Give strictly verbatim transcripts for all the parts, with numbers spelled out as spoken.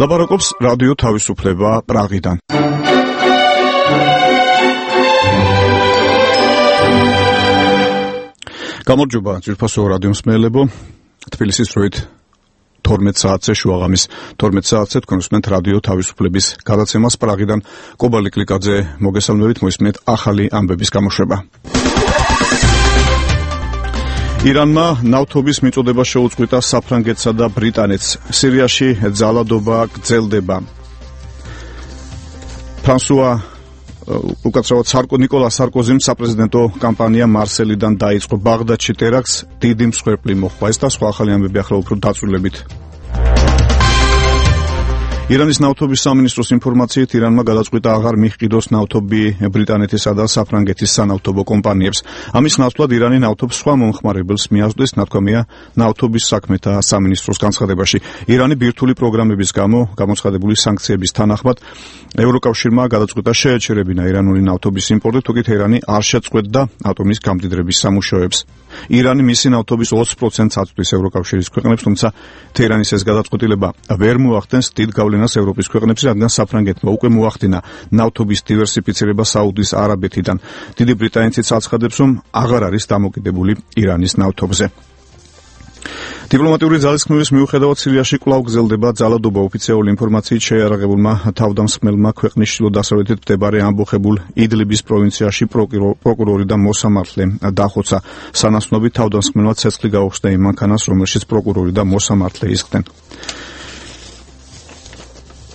ლაპარაკობს რადიო თავისუფლება პრაღიდან. გამარჯობა ძვირფასო რადიო მსმენელებო, თბილისის დროით თორმეტ საათზე შუაღამის თორმეტ საათზე თქვენ უსმენთ რადიო თავისუფლების გადაცემას პრაღიდან. კობალი კლიკაძე მოგესალმებით, მოისმენთ ახალი ამბების გამოშვება. ირანმა ნავთობის მიწოდება შეუწყვიტა საფრანგეთსა და ბრიტანეთს. სირიაში ძალადობა გრძელდება. ფრანსუა უკაცრავად სარკო ნიკოლა სარკოზიმ საპრეზიდენტო კამპანია მარსელიდან დაიწყო. ბაღდადში ტერაქტს დიდი მსხვერპლი მოჰყვა. ეს და სხვა ახალი ამბები ახლა უფრო დაწვრილებით. ირანის ნავთობის სამინისტროს ინფორმაციით ირანმა გადაწყვიტა აღარ მიჰყიდოს ნავთობი ბრიტანეთისა და საფრანგეთის სანავთობო კომპანიებს. ამის ნაცვლად ირანი ნავთობს სხვა მომხმარებელს მიაწვდის, ნათქვამია ნავთობის საქმეთა სამინისტროს განცხადებაში. ირანი ბირთვული პროგრამების გამო გამოცხადებული სანქციების თანახმად ევროკავშირმა გადაწყვიტა შეეჩერებინა ირანული ნავთობის იმპორტი, თუკი თეირანი არ შეწყვეტდა ატომის გამდიდრების სამუშაოებს. ირანი მისი ნავთობის ოცი პროცენტს აწვდის ევროკავშირის ქვეყნებს, თუმცა თეირანის ეს გადაწყვეტილება ვერ მოახდენს დიდ გავლენას ევროპის ქვეყნებში, რადგან საფრანგეთმა უკვე მოახდინა ნავთობის დივერსიფიცირება საუდის არაბეთიდან. დიდი ბრიტანეთიც აცხადებს, რომ აღარ არის დამოკიდებული ირანის ნავთობზე. დიპლომატიური ძალისხმევის მიუხედავად სირიაში კვლავ გრძელდება ძალადობა. ოფიციალური ინფორმაციით შეიარაღებულმა თავდამსხმელმა ქვეყნის ჩრდილო-დასავლეთით მდებარე ამბოხებულ იდლიბის პროვინციაში პროკურორი და მოსამართლე დახოცა. სანაცვლოდ თავდამსხმელმა ცეცხლი გაუხსნა იმ მანქანას, რომელშიც პროკურორი და მოსამართლე ისხდნენ.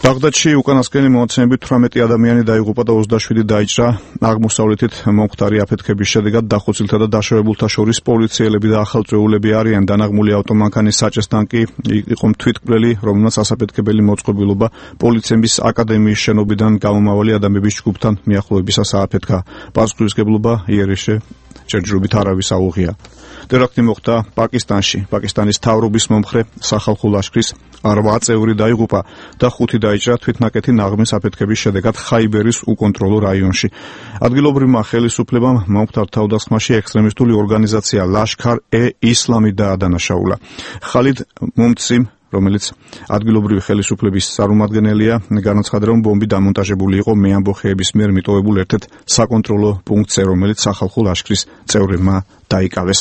ბაღდადში უკანასკნელი მონაცემებით თვრამეტი ადამიანი დაიღუპა და ოცდაშვიდი დაიჭრა. აღმოსავლეთით მომხდარი აფეთქების შედეგად დახოცილთა და დაშავებულთა შორის პოლიციელები და ახალწეულები არიან. დანაღმული ავტომანქანის საჭესთან კი იყო თვითმკვლელი, რომელმაც ასაფეთქებელი მოწყობილობა პოლიციების აკადემიის შენობიდან გამომავალი ადამიანების ჯგუფთან მიახლოებისას ააფეთქა. პასუხისმგებლობა იერიშე ჯერჯერობით არავის აუღია. ტერაქტი მოხდა პაკისტანში. პაკისტანის მთავრობის მომხრე სახალხო ლაშქრის რვა წევრი დაიღუპა და ხუთი დაიჭრა თვითნაკეთი ნაღმის აფეთქების შედეგად ხაიბერის უკონტროლო რაიონში. ადგილობრივმა ხელისუფლებამ მომხდარ თავდასხმაში ექსტრემისტული ორგანიზაცია ლაშქარ-ე-ისლამი დაადანაშაულა. ხალიდ მუმციმ, რომელიც ადგილობრივი ხელისუფლების წარმომადგენელია, განაცხადა, რომ ბომბი დამონტაჟებული იყო მეამბოხეების მიერ მიტოვებულ ერთ-ერთ საკონტროლო პუნქტზე, რომელიც სახალხო ლაშქრის წევრებმა დაიკავეს.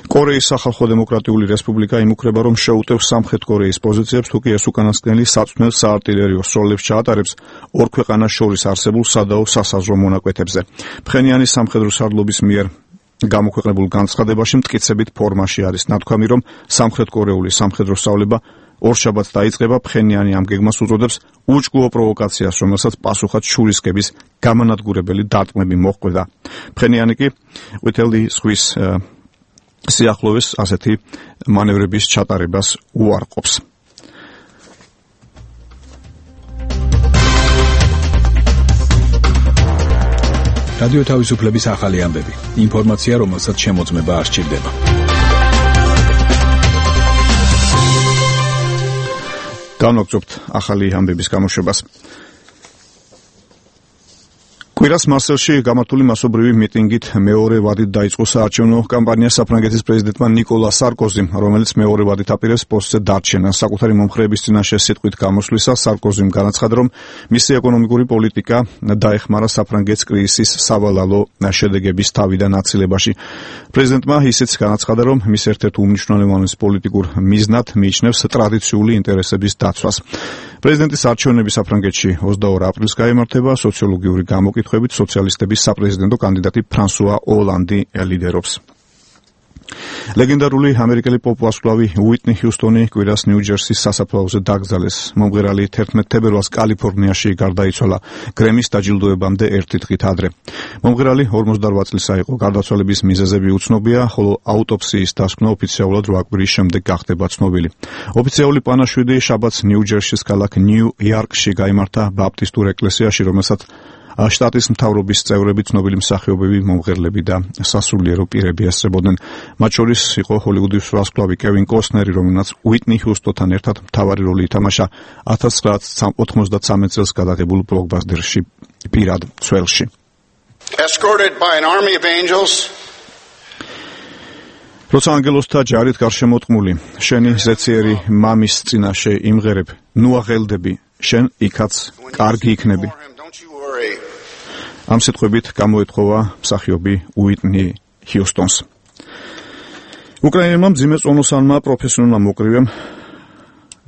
კორეის სახალხო დემოკრატიული რესპუბლიკა იმუქრება, რომ შეუტევს სამხრეთ კორეის პოზიციებს, თუკი ეს უკანასკნელი საწვნელ საარტილერიო სროლებს ჩაატარებს ორ ქვეყანას შორის არსებულ სადაო სასაზღვრო მონაკვეთებზე. ფხენიანის სამხედრო სარდლობის მიერ გამოქვეყნებულ განცხადებაში მტკიცებით ფორმაში არის ნათქვამი, რომ სამხრეთკორეული სამხედრო სწავლება ორშაბათს დაიწყება. ფხენიანი ამ გეგმას უწოდებს უჭკუო პროვოკაციას, რომელსაც პასუხად შურისკების გამანადგურებელი დარტყმები მოჰყვება. ფხენიანი კი ყვითელი ზღვის სიახლოვეს ასეთი მანევრების ჩატარებას უარყოფს. რადიო თავისუფლების ახალი ამბები. ინფორმაცია, რომელსაც შემოწმება არ სჭირდება. განვაგრძობთ ახალი ამბების გამოშვებას. კვირას მარსელში გამართული მასობრივი მიტინგით მეორე ვადით დაიწყო საარჩევნო კამპანია საფრანგეთის პრეზიდენტმა ნიკოლა სარკოზიმ, რომელიც მეორე ვადით აპირებს პოსტზე დარჩენას. საკუთარი მომხრეების წინაშე სიტყვით გამოსვლისას სარკოზიმ განაცხადა, რომ მისი ეკონომიკური პოლიტიკა დაეხმარა საფრანგეთს კრიზისის სავალალო შედეგების თავიდან აცილებაში. პრეზიდენტმა ისიც განაცხადა, რომ მის ერთ-ერთ უმნიშვნელოვანეს პოლიტიკურ მიზნად მიიჩნევს ტრადიციული ინტერესების დაცვას. პრეზიდენტის არჩევნები საფრანგეთში ოცდაორ აპრილს გაიმართება. სოციოლოგიური გამოკითხვებით სოციალისტების საპრეზიდენტო კანდიდატი ფრანსუა ოლანდი ლიდერობს. ლეგენდარული ამერიკელი პოპ-ვარსკვლავი უიტნი ჰიუსტონი კვირას ნიუ-ჯერსის სასაფლაოზე დაკრძალეს. მომღერალი თერთმეტ თებერვალს კალიფორნიაში გარდაიცვალა გრემის დაჯილდოებამდე ერთი დღით ადრე. მომღერალი ორმოცდარვა წლისა იყო. გარდაცვალების მიზეზები უცნობია, ხოლო აუტოპსიის დასკვნა ოფიციალურად რვა კვირის შემდეგ გახდება ცნობილი. ოფიციალური პანაშვიდი შაბათს ნიუ-ჯერსის ქალაქ ნიუ-იორკში გაიმართა ბაპტისტურ ეკლესიაში, რომელსაც შტატის მთავრობის წევრები, ცნობილი მსახიობები, მომღერლები და სასულიერო პირები ესწრებოდნენ. მათ შორის იყო ჰოლივუდის ვარსკვლავი კევინ კოსნერი, რომელმაც უიტნი ჰიუსტონთან ერთად მთავარი როლი ითამაშა ათას ცხრაასა ოცდამეცხრამეტ წელს გადაღებულ ბლოკბასტერში პირად ცველში. Escorted by an army of angels, როცა ანგელოსთა ჯარით გარშემოტყმული, შენი ზეციერი მამის წინაშე იმღერებ, ნუ აღელდები, შენ იქაც კარგი იქნები. ამ სიტყვებით გამოეთხოვა მსახიობი უიტნი ჰიუსტონს. უკრაინელმა მძიმე წონოსანმა პროფესიონალმა მოკრივემ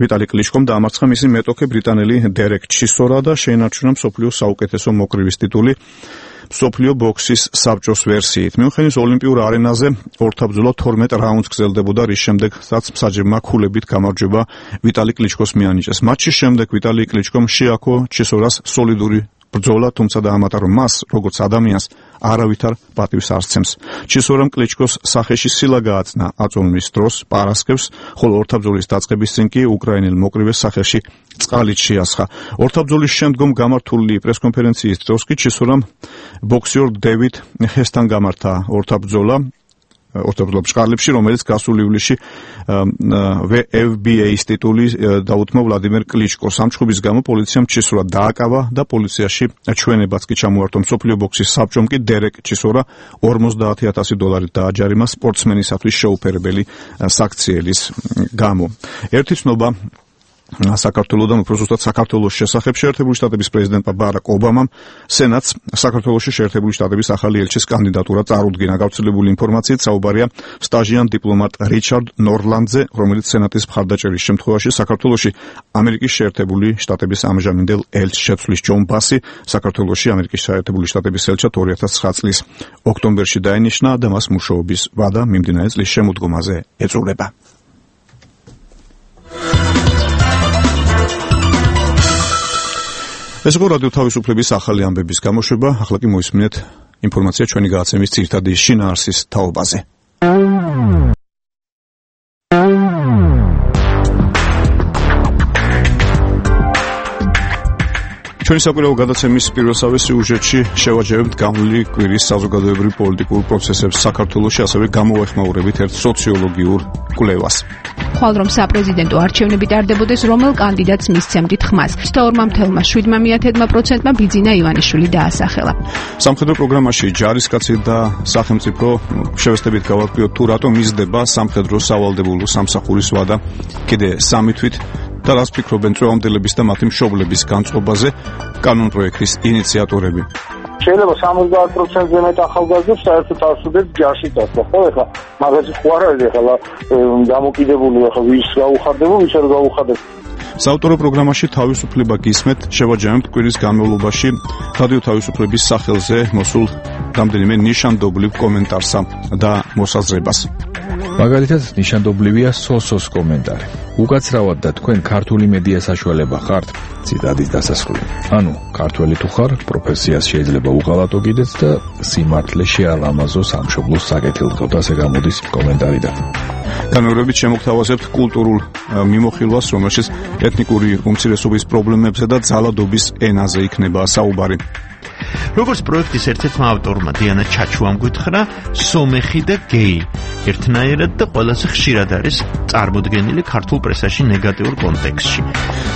ვიტალი კლიშკომ დაამარცხა მისი მეტოქე ბრიტანელი დერეკ ჩისორა და შეინარჩუნა მსოფლიოს საუკეთესო მოკრივის ტიტული მსოფლიო ბოქსის საბჭოს ვერსიით. მიუნხენის ოლიმპიურ არენაზე ორთაბრძოლა თორმეტ რაუნდს გრძელდებოდა, რის შემდეგაც მსაჯებმა ქულებით გამარჯვება ვიტალი კლიშკოს მიანიჭეს. მატჩის შემდეგ ვიტალი კლიშკომ შეაქო ჩისორას სოლიდური ბრძოლა, თუმცა დაამატა, რომ მას, როგორც ადამიანს, არავითარ პატივს არ სცემს. ჩისორამ კლიშკოს სახეში სილა გააწნა აწონვის დროს პარასკევს, ხოლო ორთაბრძოლის დაწყების წინ კი უკრაინელ მოკრივეს სახეში წყალით შეასხა. ორთაბრძოლის შემდგომ გამართული პრესკონფერენციის დროს კი ჩისორამ ბოქსიორ დევიდ ჰესთან გამართა ორთაბრძოლა ორთაბრძოლა ბშკარლებში, რომელიც გასულ ივლისში ვე ეფ ბი ეის ტიტული დაუთმო ვლადიმერ კლიშკოს. ამ ჩხუბის გამო პოლიციამ ჩისორა დააკავა და პოლიციაში ჩვენებაც კი ჩამოართვა. მსოფლიო ბოქსის საბჭომ კი დერეკ ჩისორა ორმოცდაათი ათასი დოლარით დააჯარიმა სპორტსმენისათვის შეუფერებელი საქციელის გამო. ერთი ცნობა საქართველოსთან, უფრო ზუსტად საქართველოს შესახებ, შეერთებული შტატების პრეზიდენტმა ბარაკ ობამამ სენატს საქართველოში შეერთებული შტატების ახალი ელჩის კანდიდატურა წარუდგინა. გავრცელებული ინფორმაციით საუბარია სტაჟიან დიპლომატ რიჩარდ ნორლანდზე, რომელიც სენატის მხარდაჭერის შემთხვევაში საქართველოში ამერიკის შეერთებული შტატების ამჟამინდელ ელჩს შეცვლის. ჯონ ბასი საქართველოში ამერიკის შეერთებული შტატების ელჩად ორი ათას ცხრა წლის ოქტომბერში დაინიშნა და მას მუშაობის ვადა მიმდინარე წლის შემოდგომაზე ეწურება. ეს იყო რადიო თავისუფლების ახალი ამბების გამოშვება. ახლა კი მოისმინეთ ინფორმაცია ჩვენი გადაცემის ძირითადი შინაარსის თაობაზე. ჩვენი საკვირაო გადაცემის პირველსავე სიუჟეტში შევაჯერებთ განვლილი კვირის საზოგადოებრივ პოლიტიკურ პროცესებს საქართველოში, ასევე გამოვეხმაურებით ერთ სოციოლოგიურ კვლევას. ხვალ რომ საპრეზიდენტო არჩევნები ტარდებოდეს, რომელ კანდიდატს მისცემდით ხმას? ოცდაორ ათმა მიათებმა პროცენტმა ბიძინა ივანიშვილი დაასახელა. სამხედრო პროგრამაში ჯარისკაცი და სახელმწიფო შევესწრებით გავაკლიოთ თუ რატომ მისდება სამხედრო სავალდებულო სამსახურის ვადა კიდე სამი თვით და რას ფიქრობენ წვევამდელების და მათი მშობლების განწყობაზე კანონპროექტის ინიციატორები. შეიძლება სამოცდაათ პროცენტზე მეტ ახალგაზრდებს საერთოდ არ სურდეთ ჯარში წასვლა, ხო? ეხლა მაგაზე ხო არ არის, ეხლა დამოკიდებული, ეხლა ვის გაუხარდება, ვის არ გაუხარდება. საავტორო პროგრამაში თავისუფლება გისმეთ შევაჯამებთ კვირის განმავლობაში რადიო თავისუფლების სახელზე მოსულ რამდენიმე ნიშანდობლივ კომენტარსა და მოსაზრებას. მაგალითად, ნიშანდობლივია სოსოს კომენტარი. უკაცრავად და თქვენ ქართული მედია საშუალება ხართ, ციტადის დასასრული. ანუ, ქართველი თუ ხარ, პროფესიას შეიძლება უღალატო კიდეც და სიმართლე შეალამაზო სამშობლოს საკეთილდღეოდ, ასე გამოდის კომენტარიდან. განმეორებით შემოგთავაზებთ კულტურულ მიმოხილვას, რომელშიც ეთნიკური უმცირესობის პრობლემებზე და ძალადობის ენაზე იქნება საუბარი. როგორც პროექტის ერთ-ერთმა ავტორმა დიანა ჩაჩუამ გითხრა, სომეხი და გეი ერთნაირად და ყველაზე ხშირად არის წარმოდგენილი ქართულ პრესაში ნეგატიურ კონტექსტში.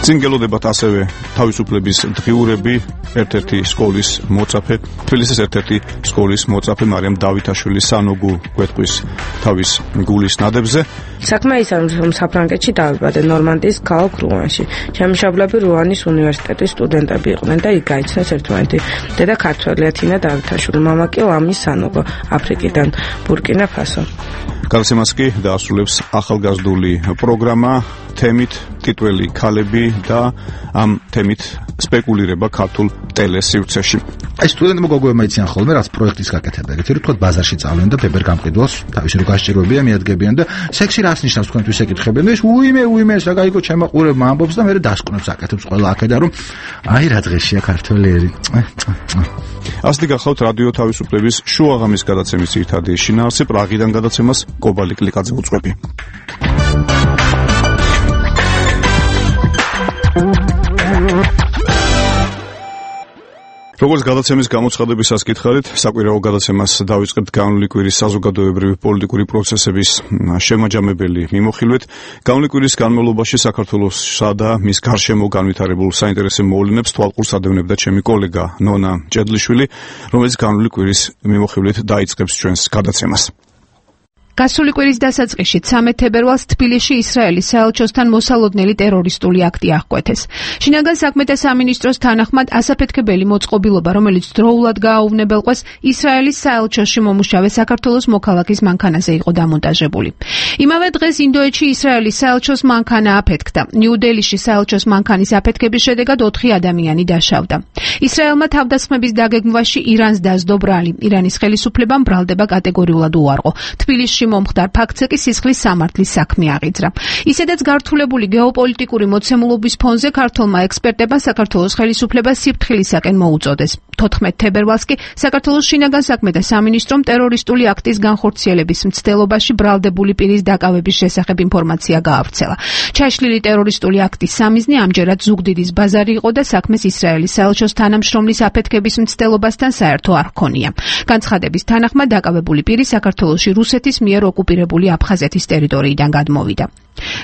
წინ გელოდებათ ასევე თავისუფლების დღიურები, ერთ-ერთი სკოლის მოწაფე, თბილისის ერთ-ერთი სკოლის მოწაფე მარიამ დავითაშვილი სანოგუ გვეტყვის თავის გულის ნადებზე. საქმე ის არის, რომ საფრანგეთში დავიბადე ნორმანდიის ქალაქ რუანში. შემშაბლები რუანის უნივერსიტეტის სტუდენტები იყვნენ და იქ გაიცნეს ერთმანეთი. დედა ქართველია თინა დავითაშვილი, მამა კი ლამი სანოგო, აფრიკიდან, ბურკინა ფასო. გადაცემას კი დაასრულებს ახალგაზრდული პროგრამა თემით ტიტველი ქალები და ამ თემით სპეკულირება ქართულ ტელესივრცეში. ეს სტუდენტებმა გოგოებმა იციან ხოლმე, რაც პროექტის გაკეთება. ეგეთი რომ ბაზარში წავლენ და ბებერ გამყიდველს თავის რო გასჭიროებია მიადგებიან და სექსი რას ნიშნავს თქვენთვის ეკითხებიან და ეს უიმე უიმე საგაიგო ჩემო ყურებმა ამბობს და მე დასკვნებს აკეთებს ყველა აქედა რომ აი რა დღეშია ქართველი ერი. ასეთი გახავთ რადიო თავისუფლების შუაღამის გადაცემის ერთადი შინაარსი. პრაღიდან გადაცემას კობალი კლიკაძე უძღვები. როგორც გადაცემის გამოცხადებისას გითხარით, საკვირაო გადაცემას დავიწყებთ განვლილი კვირის საზოგადოებრივი პოლიტიკური პროცესების შემაჯამებელი მიმოხილვით. განვლილი კვირის განმავლობაში საქართველოსსა და მის გარშემო განვითარებულ საინტერესო მოვლენებს თვალყურს ადევნებდა ჩემი კოლეგა ნონა ჭედლიშვილი, რომელიც განვლილი კვირის მიმოხილვით დაიწყებს ჩვენს გადაცემას. გასული კვირის დასაწყისში ცამეტ თებერვალს თბილისში ისრაელის საელჩოსთან მოსალოდნელი ტერორისტული აქტი აღკვეთეს. შინაგან საქმეთა სამინისტროს თანახმად ასაფეთქებელი მოწყობილობა, რომელიც დროულად გააუვნებელყვეს ისრაელის საელჩოში მომუშავე საქართველოს მოქალაქის მანქანაზე იყო დამონტაჟებული. იმავე დღეს ინდოეთში ისრაელის საელჩოს მანქანა აფეთქდა. ნიუ-დელიში საელჩოს მანქანის აფეთქების შედეგად ოთხი ადამიანი დაშავდა. ისრაელმა თავდასხმების დაგეგმვაში ირანს დასდო ბრალი. ირანის ხელისუფლებამ ბრალდება კატეგორიულად უარყო. თბილისში მომხდარ ფაქტზე კი სისხლის სამართლის საქმე აღიძრა. ისედაც გართულებული გეოპოლიტიკური მოცემულობის ფონზე ქართულმა ექსპერტებმა საქართველოს ხელისუფლებას სიფრთხილისაკენ მოუწოდეს. თოთხმეტ თებერვალს კი საქართველოს შინაგან საქმეთა სამინისტრომ ტერორისტული აქტის განხორციელების მცდელობაში ბრალდებული პირის დაკავების შესახებ ინფორმაცია გაავრცელა. ჩაშლილი ტერორისტული აქტის სამიზნე ამჯერად ზუგდიდის ბაზარი იყო და საქმეს ისრაელის საელჩოს თანამშრომლის აფეთქების მცდელობასთან საერთო არ ჰქონია. განცხადების თანახმად დაკავებული პირი საქართველოში რუსეთის მიერ ოკუპირებული აფხაზეთის ტერიტორიიდან გადმოვიდა.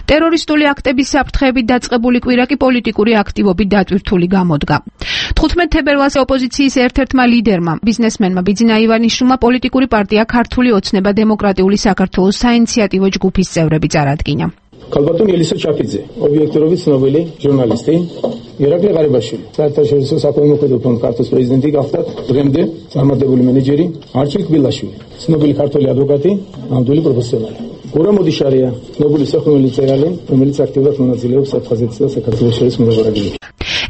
ტერორისტული აქტების საფრთხეებით დაწყებული კვირა კი პოლიტიკური აქტივობით დატვირთული გამოდგა. თხუთმეტ თებერვალს ოპოზიციის ერთ-ერთმა ლიდერმა, ბიზნესმენმა ბიძინა ივანიშვილმა პოლიტიკური პარტია ქართული ოცნება დემოკრატიული საქართველოს საინიციატივო ჯგუფის წევრები წარადგინა. ქალბატონ ელისა ჩაფიძე, ობიექტურობის ცნობილი ჟურნალისტი, ირაკლი ღარიბაშვილი, საერთაშორისო საქველმოქმედო ფონდ ქართლის პრეზიდენტი გახდათ, დღემდე წარმატებული მენეჯერი არჩილ კბილაშვილი, ცნობილი ქართველი ადვოკატი, ნამდვილი პროფესიონალი. გურამ მოდიშარია, ცნობილი სახმელი მწერალი, რომელიც აქტიურად მონაწილეობს აფხაზეთის და საქართველოს შორის მოლაპარაკებებში.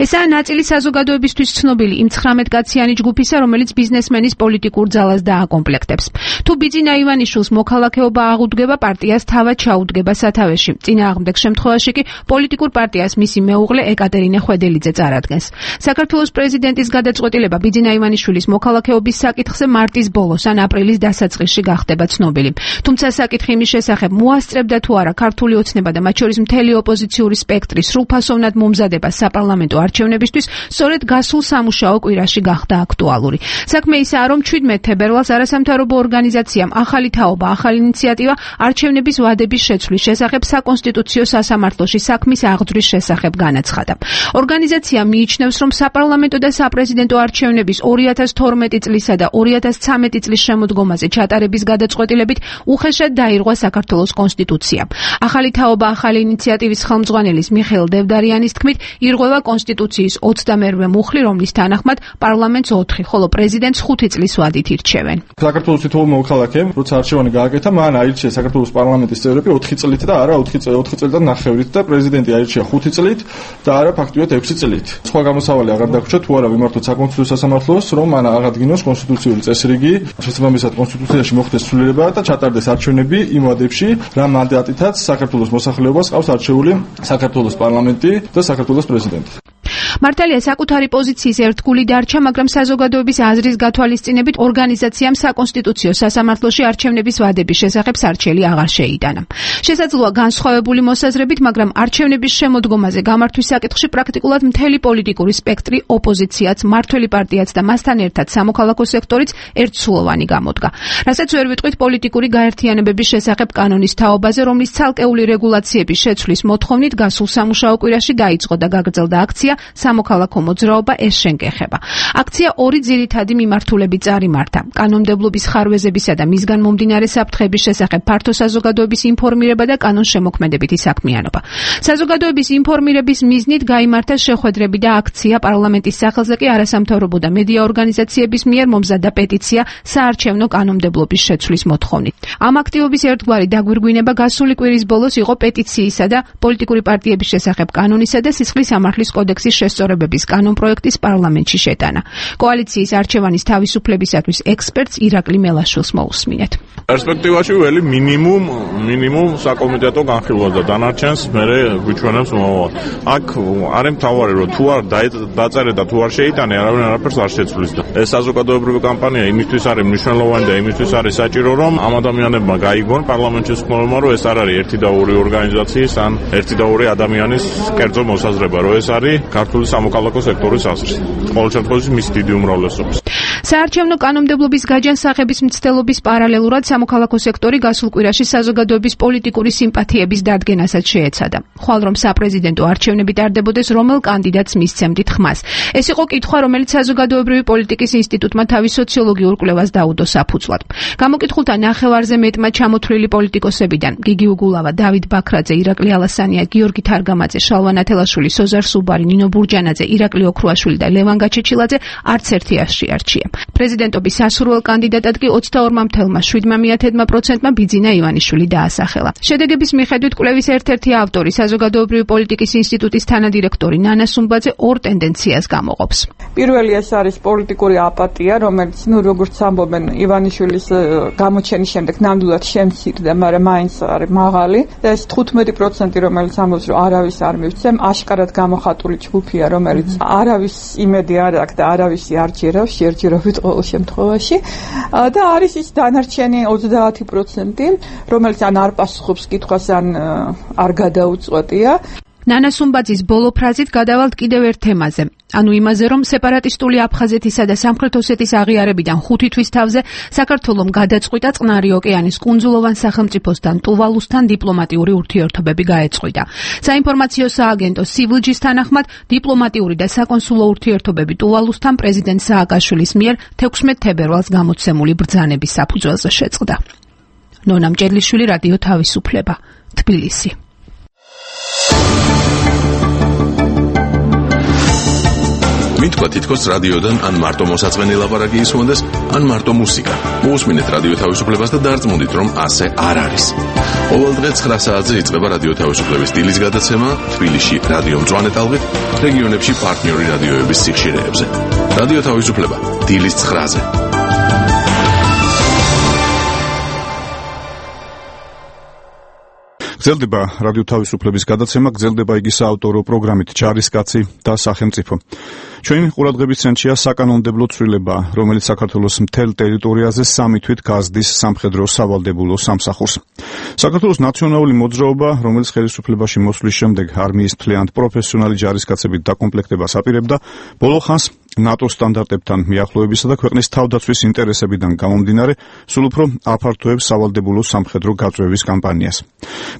ესაა ნაწილი საზოგადოებისთვის ცნობილი იმ ცხრამეტკაციანი ჯგუფისა, რომელიც ბიზნესმენის პოლიტიკურ ძალას დააკომპლექტებს. თუ ბიძინა ივანიშვილს მოქალაქეობა აღუდგება, პარტიას თავად ჩაუდგება სათავეში. წინააღმდეგ შემთხვევაში კი პოლიტიკურ პარტიას მისი მეუღლე ეკატერინე ხვედელიძე წარადგენს. საქართველოს პრეზიდენტის გადაწყვეტილება ბიძინა ივანიშვილის მოქალაქეობის საკითხზე მარტის ბოლოს ან აპრილის დასაწყისში გახდება ცნობილი. თუმცა საკითხი იმის შესახებ მოასწრებდა თუ არა ქართული ოცნება და მათ შორის მთელი ოპოზიციური სპექტრი სრულფასოვნად მომზადება საპარლამენტო არჩევნებისთვის სწორედ გასულ სამუშაო კვირაში გახდა აქტუალური. საქმე ისაა, რომ შვიდმეტ თებერვალს არასამთავრობო ორგანიზაციამ ახალი თაობა, ახალი ინიციატივა არჩევნების ვადების შეცვლის შესახებ საკონსტიტუციო სასამართლოში საქმის აღძვრის შესახებ განაცხადა. ორგანიზაცია მიიჩნევს, რომ საპარლამენტო და საპრეზიდენტო არჩევნების ორი ათას თორმეტი წლისა და ორი ათას ცამეტი წლის შემოდგომაზე ჩატარების გადაწყვეტილებით უხეშად დაირღვა საქართველოს კონსტიტუცია. ახალი თაობა, ახალი ინიციატივის ხელმძღვანელის მიხეილ დევდარიანის თქმით, ირღვევა კონსტიტუციის ოცდამერვე მუხლი, რომლის თანახმად პარლამენტს ოთხი, ხოლო პრეზიდენტს ხუთი წლის ვადით ირჩევენ. საქართველოს თითოეულ მოქალაქემ, როცა არჩევანი გააკეთა, მან აირჩია საქართველოს პარლამენტის წევრები ოთხი წლით და არა ოთხი წელი და ნახევრით და პრეზიდენტი აირჩია ხუთი წლით და არა ფაქტიურად ექვსი წლით. სხვა გამოსავალი აღარ დაგვრჩა თუ არა ვიმართოთ საკონსტიტუციო სასამართლოს, რომ მან აღადგინოს კონსტიტუციური წესრიგი, შესაბამისად კონსტიტუციაში მოხდეს ცვლილება და ჩატარდეს არჩევნები იმ ვადებში, რა მანდატითაც საქართველოს მოსახლეობას ყავს არჩეული საქართველოს პარლამენტი და საქართველოს პრეზიდენტი. მართალია საკუთარი პოზიციის ერთგული დარჩა, მაგრამ საზოგადოების აზრის გათვალისწინებით ორგანიზაციამ საკონსტიტუციო სასამართლოში არჩევნების ვადების შესახებ სარჩელი აღარ შეიტანა. შესაძლოა განსხვავებული მოსაზრებით, მაგრამ არჩევნების შემოდგომაზე გამართვის საკითხში პრაქტიკულად მთელი პოლიტიკური სპექტრი, ოპოზიციაც, მმართველი პარტიაც და მასთან ერთად სამოქალაქო სექტორიც ერთსულოვანი გამოდგა. რასაც ვერ ვიტყვით პოლიტიკური გაერთიანებების შესახებ კანონის თაობაზე, რომლის ცალკეული რეგულაციების შეცვლის მოთხოვნით გასულ სამუშაო კვირაში დაიწყო და გაგრძელდა აქცია სამოქალაქო მოძრაობა ეს შენკეხება. აქცია ორი ძირითადი მიმართულებით წარიმართა. კანონმდებლობის ხარვეზებისა და მისგან მომდინარე საფრთხების შესახებ ფართო საზოგადოების ინფორმირება და კანონშემოქმედებითი საქმიანობა. საზოგადოების ინფორმირების მიზნით გაიმართა შეხვედრები და აქცია პარლამენტის სახელზე კი არასამთავრობო და მედია ორგანიზაციების მიერ მომზადდა პეტიცია საარჩევნო კანონმდებლობის შეცვლის მოთხოვნით. ამ აქტივობის ერთგვარი დაგვირგვინება გასული კვირის ბოლოს იყო პეტიციისა და პოლიტიკური პარტიების შესახებ კანონისა და სისხლის სამართლის კოდექსის შესწორებების კანონპროექტის პარლამენტში შეტანა. კოალიციის არჩევანის თავისუფლებისათვის ექსპერტს ირაკლი მელაშვილს მოусმინეთ. პერსპექტივაში ველი მინიმუმ მინიმუმ საკომიტეტო განხილვა და დანარჩენს მერე გვიჩვენებს მომავალ. აქ არის მთავარი რომ თუ არ დაწერე და თუ არ შეიტანე, არავინ არაფერს არ შეცვლის და ეს საზოგადოებრივი კამპანია იმისთვის არის მნიშვნელოვანი და იმისთვის არის საჭირო რომ ამ ადამიანებმა გაიგონ პარლამენტში ხმოვანა რომ ეს არ არის ერთი და ორი ორგანიზაციის ან ერთი და ორი ადამიანის კერძო მოსაზრება, რომ ეს არის ქართული სამოქალაქო სექტორის აზრი. ყოველ შემთხვევაში მის დიდი უმრავლესობის. საარჩევნო კანონმდებლობის გაჯანსაღების მცდელობის პარალელურად სამოქალაქო სექტორი გასულ კვირაში საზოგადოების პოლიტიკური სიმპათიების დადგენასაც შეეცადა. ხვალ რომ საპრეზიდენტო არჩევნები ტარდებოდეს, რომელ კანდიდატს მისცემდით ხმას. ეს იყო კითხვა, რომელიც საზოგადოებრივი პოლიტიკის ინსტიტუტმა თავის სოციოლოგიურ კვლევას დაუდო საფუძვლად. გამოკითხულთა ნახევარზე მეტმა ჩამოთვლილი პოლიტიკოსებიდან გიგი უგულავა, დავით ბაქრაძე, ირაკლი ალასანია, გიორგი თარგამაძე, შალვა ათელაშვილი, სოზარ სუბარი, ნინო ბურჯანაძე, ირაკლი ოქრუაშვილი და ლევან გაჩეჩილაძე არც ერთი არ შეარჩია. პრეზიდენტობის სასურველ კანდიდატად კი ოცდაორ თელა შვიდ პროცენტმა ბიძინა ივანიშვილი დაასახელა. შედეგების მიხედვით კვლევის ერთ-ერთი ავტორი, საზოგადოებრივი პოლიტიკის ინსტიტუტის თანადირექტორი ნანა სუმბაძე ორ ტენდენციას გამოყოფს. პირველი ეს არის პოლიტიკური აპატია, რომელიც, ну, როგორც ამბობენ, ივანიშვილის გამოჩენის შემდეგ ნამდვილად შემცირდა, მაგრამ მაინც არის მაღალი. და ეს თხუთმეტი პროცენტი, რომელიც ამბობს, რომ არავის არ მივცემ, აშკარად გამოხატული ჯგუფია, რომელიც არავის იმედი არ აქვს და არავისი არ ჯერავს, შეერჯერობით ყოველ შემთხვევაში. და არის ის დანარჩენი ოცდაათი პროცენტი, რომელიც ან არ პასუხობს კითხვას, ან არ გადაუწყვეტია. ნანა სუმბაძის ბოლო ფრაზით გადავალთ კიდევ ერთ თემაზე. ანუ იმაზე, რომ სეპარატისტული აფხაზეთისა და სამხრეთ ოსეთის აღიარებიდან ხუთი თვის თავზე საქართველომ გადაწყვიტა წყნარი ოკეანის კუნძულოვან სახელმწიფოსთან ტუვალუსთან დიპლომატიური ურთიერთობები გაეწყვიტა. საინფორმაციო სააგენტო სივლჯის თანახმად, დიპლომატიური და საკონსულო ურთიერთობები ტუვალუსთან პრეზიდენტ სააკაშვილის მიერ თექვსმეტ თებერვალს გამოცემული ბრძანების საფუძველზე შეწყდა. ნონა მჭედლიშვილი, რადიო თავისუფლება, თბილისი. მითქვა თითქოს რადიოდან ან მარტო მოსაწყენი ლაპარაკი ისმონდეს, ან მარტო მუსიკა. მოусმინეთ რადიო თავისუფლებას და დარწმუნდით, რომ ასე არ არის. ყოველ დღე ცხრა საათზე იწყება რადიო თავისუფლების დილის გადაცემა თბილისში რადიო მწვანე ტალღით, რეგიონებში პარტნიორი რადიოების სიხშირეებზე. რადიო თავისუფლება დილის ცხრაზე. გრძელდება რადიო თავისუფლების გადაცემა, გრძელდება იგი საავტორო პროგრამით ჯარისკაცი და სახელმწიფო. ჩვენი ყურადღების ცენტრია საკანონმდებლო ცვლილება, რომელიც საქართველოს მთელ ტერიტორიაზე სამი თვით გაზდის სამხედრო სავალდებულო სამსახურს. საქართველოს ნაციონალური მოძრაობა, რომელიც ხელისუფლებაში მოსვლის შემდეგ არმიის მთლიანად პროფესიონალი ჯარისკაცებით დაკომპლექტებას აპირებდა, ბოლო ხანს ნატოს სტანდარტებთან მიახლოებისა და ქვეყნის თავდაცვის ინტერესებიდან გამომდინარე, სულ უფრო აფართოებს სავალდებულო სამხედრო გაწვევის კამპანიას.